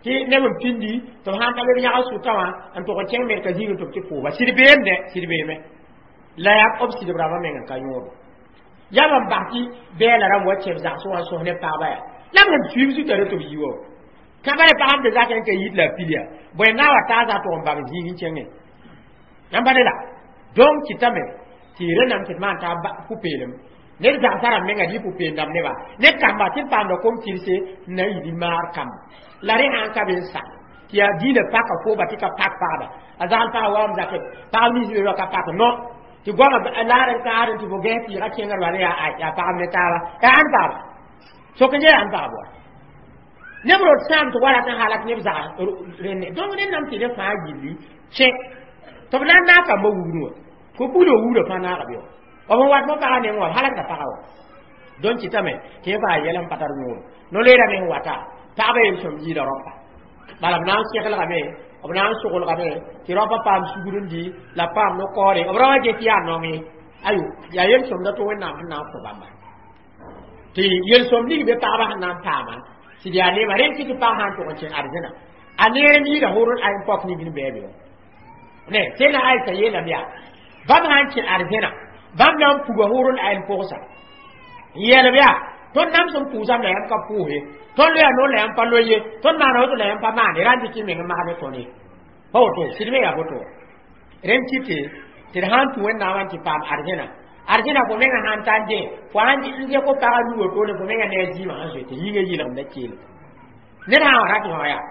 tɩ neb n pindi tɩ b sãn ta leb yãg sʋtã wã n tʋg n kẽng merka zĩigẽ tɩ b tɩ pʋʋba sɩd beem dɛ sɩd beeme la yaa b sɩdb rãmbã meng n ka yõodo yam n bas tɩ bɛɛla rãmb wa kẽb zagsẽ wã n sõs ne pagbã yaa la b sẽn suiib zutã tɩ b yi wa ka ba pagã n be zakẽ n ka yit la a pil yaa bõe na wa taa tʋg n bãng zĩig n kẽngẽ yãmb pa ne la donc kɩtame tɩ rẽnnam tɩ d maan t'a pʋ-peelem ned zagsã rãmb menga dɩ pʋ-peem dãmb nebã ne kamba tɩ d paamda kom-tɩrse n na n yɩ maar kamba la rẽ sãn ka be n sa tɩ yaa dĩinã paka fooba tɩ ka pak pagba a zagl pagã wa m zakẽ pagb nins be ka pak no tɩ goamã laar n kaar tɩ fo gãs tɩɩgã kẽngr bala yaa pagb ne taaba yaa ãn pagba sok n yaa ãn pagb wa neb rot sãam tɩ wa rat n halak neb zags rẽnne donc rẽnnam tɩ rẽ fãa gilli kẽ tɩ b na n naag kambã wugdẽ wã ko buudã wugdã fãa naaga be wã b n wat fo pagã neng wã b halakda pagã wã donc kɩtame tɩ yẽ faa yɛl n pa tar yõodo no-leerame sẽn wata pagba yel-sõm yɩɩda rõpa bala b na n seglgame b na n soglgame tɩ rõpa paam sugr n dɩ la paam no-kaoore b ra wa get yaa naong ye ayo yaa yel-sõmda tɩ Wẽnnaam sẽn na n kõ bãmba tɩ yel-sõm ning be pagba sẽn na n paama tɩ d yaa neema rẽnd tɩ tɩ pag sã n tʋg n kẽ arzẽna a neerem yɩɩda hʋr n pɔk ningr bɛɛ be wã ne sẽna Aisa yeelame yaa bãmb sã n kẽ arzẽna bãmb na n puga hʋr n ayn pʋgsa n yeelb yaa tõnd nam sẽn pʋʋsam la yãmb ka pʋʋse tõnd loya noor la yãmb pa loe ye tõnd maana woto la yãmb pa maane ra n dɩk y meng n masd ne tõnd ye pa woto sɩd me yaa boto rẽnd kɩte tɩ d sãn tũ Wẽnnaamã tɩ paam arzẽna arzẽna fo menga sãn ta n dẽ fo sãn n dẽ ko pagã nu wotone fo menga ne a zĩimã sẽn zoe tɩ yĩngã yɩlgemda keel ned sã n wa rat wã yaa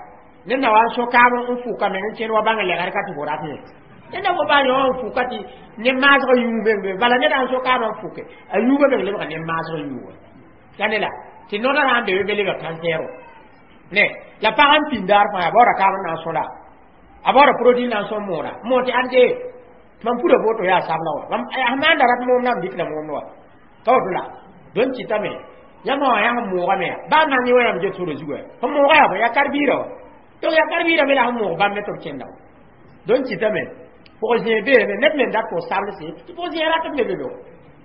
ned na wa n so-kaam n fʋka meng n kẽnd wa bãng lɛgr ka tɩ fo rat yẽ ned na fo baa yõ n fʋka tɩ ne maasg yũug meng be bala ned sãn so-kaamã n fʋke a yuugã meng lebga ne maasg yũuga ka ne la tɩ nodã sãn be be lebga kansɛɛro ne la pag n pĩnd daar fãa a baoora kaam n na n sõla a baoora produit na n sõm moora moor tɩ ãn dee mam pura boto yaa sabla wa mam a maanda rat moom na m dɩk la moomd wa ka woto la donc kɩtame yãmb wã yaa sẽn moogame yaa baa nan yẽ wã yãmb get sora zugu sẽn mooga yaa bõe yaa kar-biirã wa donc yaa kar-biirã me la sẽn moog bãmb me tɩ b kẽnda wa donc kɩtame pʋg-zẽeg beelame ned me n dat tɩ sablse tɩ pʋg-zẽeg rat b me be be wa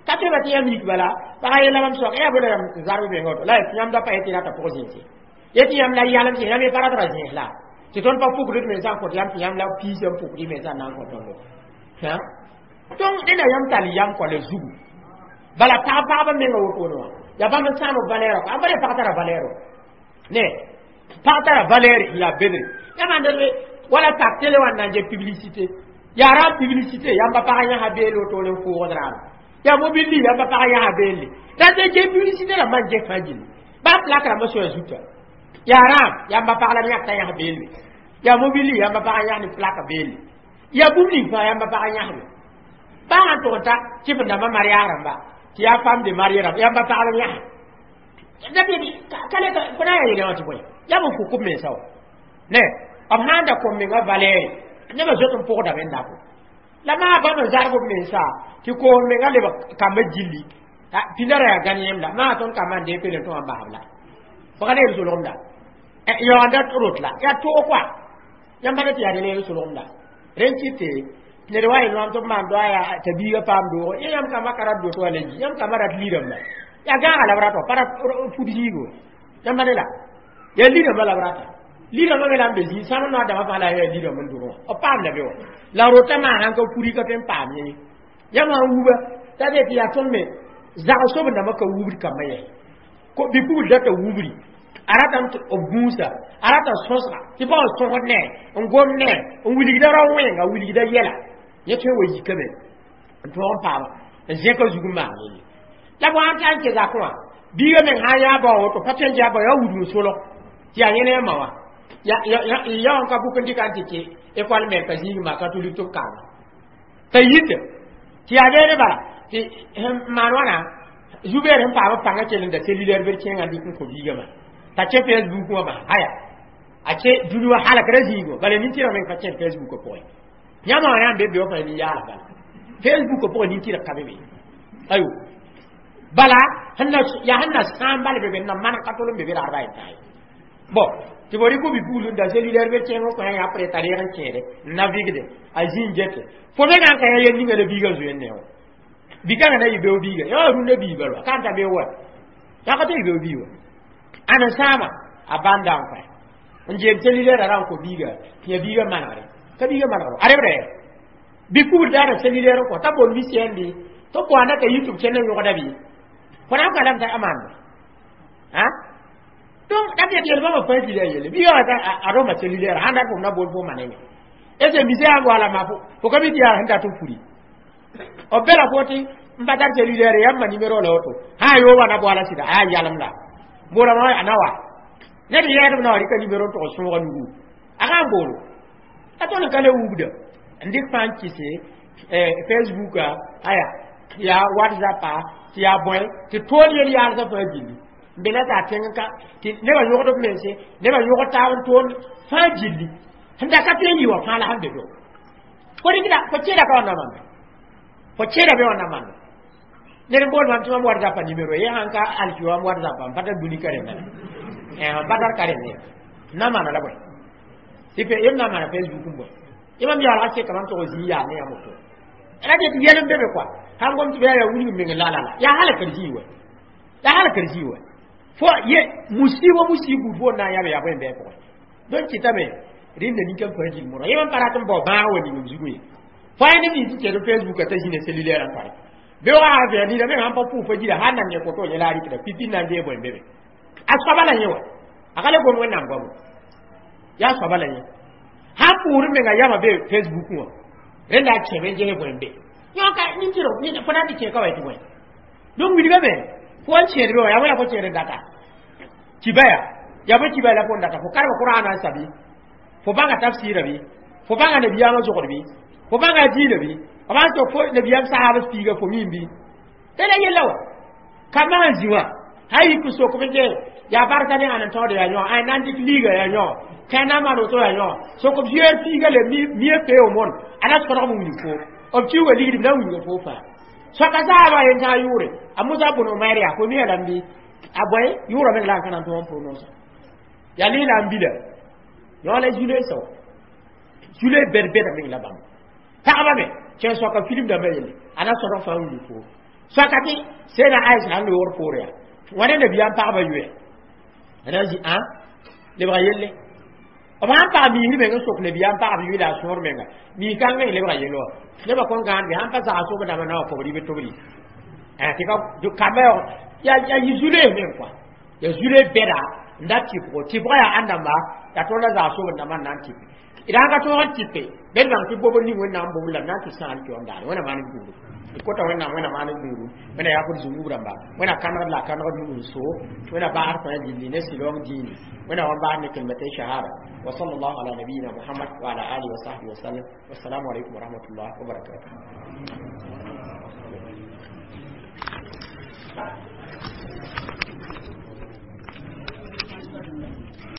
ka tɩ ba tɩ yãmb yik bala pagã yeela mam soak yaa bõe yãmb zarb menga woto la yãmb da pa yetɩ rata pʋg-zẽese yetɩ yãmb la yalem sẽ yãmb ye pa rat ra zẽes la tɩ tõnd pa pukd d mensã n kõt yãmb tɩ yãmb la piisã n pukd y mensã n na n kõ tõndo donc neda yãmb tall yam kɔ la zugu bala pag pagba menga wotone wã yaa bãmb n sãam b valɛɛrã kɔ ãmb pa pag tara valɛɛr ne pag tara valɛɛr n yaa bedre yãmb wala tak télé wã n na n get publicité yaa ra publicité yãmba pagã yãsa beel wotone n fʋʋgd raam yaa mobilli yãmba pagã yãsa beelle la tɩ get publicité rãmbã n get fãa gilli Ba plak rãmbã soa zuta. Yaa rãam, yãmba pag la b yãk t'a yãs beelle. Yaa mobili, yãmba pag n yãs ne plaka beelle. Yaa bũmb ning fãa yãmba pag n yãsbe. Baa sãn tʋg n ta kɩf n dãmbã mariage rãmba tɩ yaa femme de mariée rãmb, yãmba pag la b yãse. Ka le fo na n yaa yel wã tɩ bõe? Yaa b fuk b mensa wã. Ne, b sãn da kõ mengã valɛɛre, nebã zoet n pʋgdame n nabo. La maa bãmb n zarg b mensa tɩ koos mengã lebg kambã gilli. Pĩnda ra yaa gãn yẽmda. Maa tõnd kambã n deeg pelen tõ wã n basb la. Fo ka le yel solgemda. Yaoonda rot la. Yaa toog koa. Yãmb pa tɩ yaa le yel solgemda. Rẽn kɩte ned wa yel wãm tɩ b maan doa yaa t'a biigã paam doogo. Yẽ yãmb kambã ka rat doto wã la yi. Yãmb kambã rat li-rãmba. Yaa gãaga la b rata, pa rat fud zĩigo. Yãmb pa ne la. Yaa li-rãmbã la b rata. Li-rãmbã me la n be zĩig sãam noor dãmbã fãa la yaa li-rãmb n dʋg wã. B paam la be wã. La rotã maa sãn ka furi ka tõe n paam yẽ. Yãmb sãn wuba t'a tɩ yaa tõnd me zag sob dãmbã ka wubd kambã yɛ. Bi-pugl data wubri. A ratame tɩ b gũusa, a rata sõsga tɩ pa n sõsd ne, n gom ne, n wilgda rao-wẽnga, wilgda yɛla. Yẽ tõe n wa yikame n tõog n paama n zẽka zug n maan yelle. La bõe sãn ta n kẽ zakẽ wã, biigã meng sã n yaa bao woto, pa tõe n yaa bao yaa wudg n solg tɩ yaa yẽ ne a ma wã. Ya wã ka bʋk n dɩka n tɩ kẽ école mère ka zĩig ma catholique tɩ b kanga. T'a yite tɩ yaa beene bala tɩ maan wãna zu-beer sẽn paam b pãngã kell n da cellulaire bd kẽengã n dɩk n kõ biigã maa. T'a kẽ Facebook wã maa haya. A kẽ dũni wã halkra zĩig wã bala nin-tɩrg meng pa kẽd Facebook pʋgẽ. Yãmb wã yaa n be be wã fãa nin-yaals bala. Facebook pʋgẽ nin-tɩrg ka be be. Ayo. Bala yaa sẽn na sãam bal be be n na maneg ka tol n be be ragdba yen tã ye. Bon, tɩ fo rɩk bi-pugl n da cellulaire be kẽeng n kõ yã apres t'a reeg n kẽede n navigde a zĩ n gete. Fo mengã n ka yã yel ninga la biigã zoeen ne wã. Bi-kãngã na yɩ beo biiga. Yã wã rũndã bii bala ka n ta beo wa. Yaa ka tɩ yɩ beo bii wa. Ãn n sãama a bãnda n kõ n jeem cellulaire ra n kõ biiga tɩ yã biigã manegre. Ka biigã manegre. A rebda ya. Bi-pugl daara cellulaire n kõ t'a bool misɛn bɩ tɩ b boanda t'a yi tɩ b kẽnd n yõgda bɩ. Fo na n ka lame t'a maande. Ha? Donc da tɩ yel bãmba fãa gila yelle. Biigã wã t'a a rõma cellulaire sãn dat fo na bool fo maneme. Est ce misɛ sã n goala maa fo ka mi tɩ yaa sẽn dat n furi. B bela fo tɩ n pa tar cellulaire yãmba numéro la woto. Sã n yoog na boala sɩda a yaa yalem la. Boolame a na wa. Ned yɛɛdb na wa rɩka numéro n tʋg sõoga nugu. A ka n boolo. A tõnd n ka le wubda. N dɩk fãa n kɩse Facebook aya yaa WhatsApp tɩ yaa bõe tɩ tool yel yaalsã fãa gilli. N be la t'a tẽng ka tɩ nebã yõgd b mense, nebã yõgd taab n toond fãa gilli. Sẽn da ka tõe n yɩ wã fãa la sẽn be be. Fo rɩkda fo kẽeda ka wã na manda. Fo kẽeda be wã na manda. Ned n bool mam tɩ mam WhatsApp numéro ye sãn ka alki wã WhatsApp n pa tar dũni ka rẽnda la. N pa tar ka rẽnd ye. Na maana la bõe? Tɩ yem na maana Facebook n bõe? Yãmb yaalga seka mam tʋg zĩ yaa ne yãmb woto. Ra tɩ yɛl n be be koa. Sãn gom tɩ yaa wilg meng la la la. Yaa halkr zĩig wɛ. Yaa halkr zĩig wɛ. Fo ye musiba musibu fo na n yãb yaa bõe n bɩ pʋgẽ. Donc kɩtame rẽnda nin-kãn fãa gil moorã. Yẽ mam pa rat n bao bãag wa ning m zugu ye. Fo yaa neb nins tɩ kẽed Facebook t'a zĩna cellulaire n tare. Beoogã sã vɛɛg nina meng sãn pa pʋʋg fa gira sã n nan ne koto yẽ la a rɩkda pipi na n dee bõe n be be. A soaba la yẽ wa. A ka le gom Wẽnnaam goamo. Yaa soaba la yẽ. Sãn pʋʋr menga yama be Facebook wã. Rẽnda a kẽme n ges bõe n be. Yõ ka nin-tɩrg fo na n tɩ kẽ ka wa tɩ bõe. Donc wilgame fo n kẽed be wã yaa bõe la fo kẽed n data. Kiba ya. Yaa bõe kiba la fo n data. Fo karem Kur'an n sabi. Fo bãnga tafsɩɩra bɩ. Fo bãnga nabiyaamã zogd bɩ. Fo bãnga diinã bɩ. B sãn tɩ fo nabiyaam sahab piiga fo mim bɩ. Tɩ la yella wã. Ka maan zĩ wã. Sã yik n sok b n yaa barka ne ãn n taood yaa yõ, ay na n dɩk liiga yaa yõ, kẽ na n maan woto yaa yõ. Sok b zoeer piiga le mie peo mon, a na sõdg n wilg fo. B kiuga ligd b na n wilga fo fãa. Soaka saaba yen tã yʋʋre, a Musa bʋn Umair yaa fo mia lam bɩ a bõe yʋʋra meng la n ka na n tõog n prononce. Yaa lɩɩla n bila. Yõ la zule sao. Zule bɛd-bɛda meng la bãmb. Pagba me, kẽ soaka film dãmbã yelle, a na sõdg fãa n wilg fo. Soaka tɩ Sɛda Aisha sãn loogr poore yaa. Wãne nabiyaam pagba yoɛ. A na n zĩ ã lebga yelle. B sãn pag miisd meng n sok nabiyaam pagb yʋɩ la a sõor menga. Miis-kãng meng lebga yell wã. Nebã kõn gãand bɩ sãn pa sags sob dãmbã na wã kobr yɩ tobri. Tɩ ka kambã yaa yɩ zulees meng koa. Yaa zule bɛda n da tɩpgo. Tɩpgã yaa ãn dãmba yaa tõnd a zags sob n dãmbã n na n tɩpe. D sãn ka tõog n tɩpe, bed bãng tɩ bobr ning Wẽnnaam bobr la b na n tɩ sãam tɩ wãm daare. Wẽnnaam maan b gũudum. D kota Wẽnnaam, Wẽnnaam maan d gũudum, Wẽnna yaa d zũnub rãmba, Wẽnna kãnegd la a kãnegd nug n soog, Wẽnna baasd tõe a ne sɩlaoong dĩini, Wẽnna wa baas ne kalimatay shahada. Wa sallallahu ala nabiyina Muhammad wa ala alihi wa sahbihi wa sallam. Wassalamu alaikum wa rahmatullahi wa barakatuh.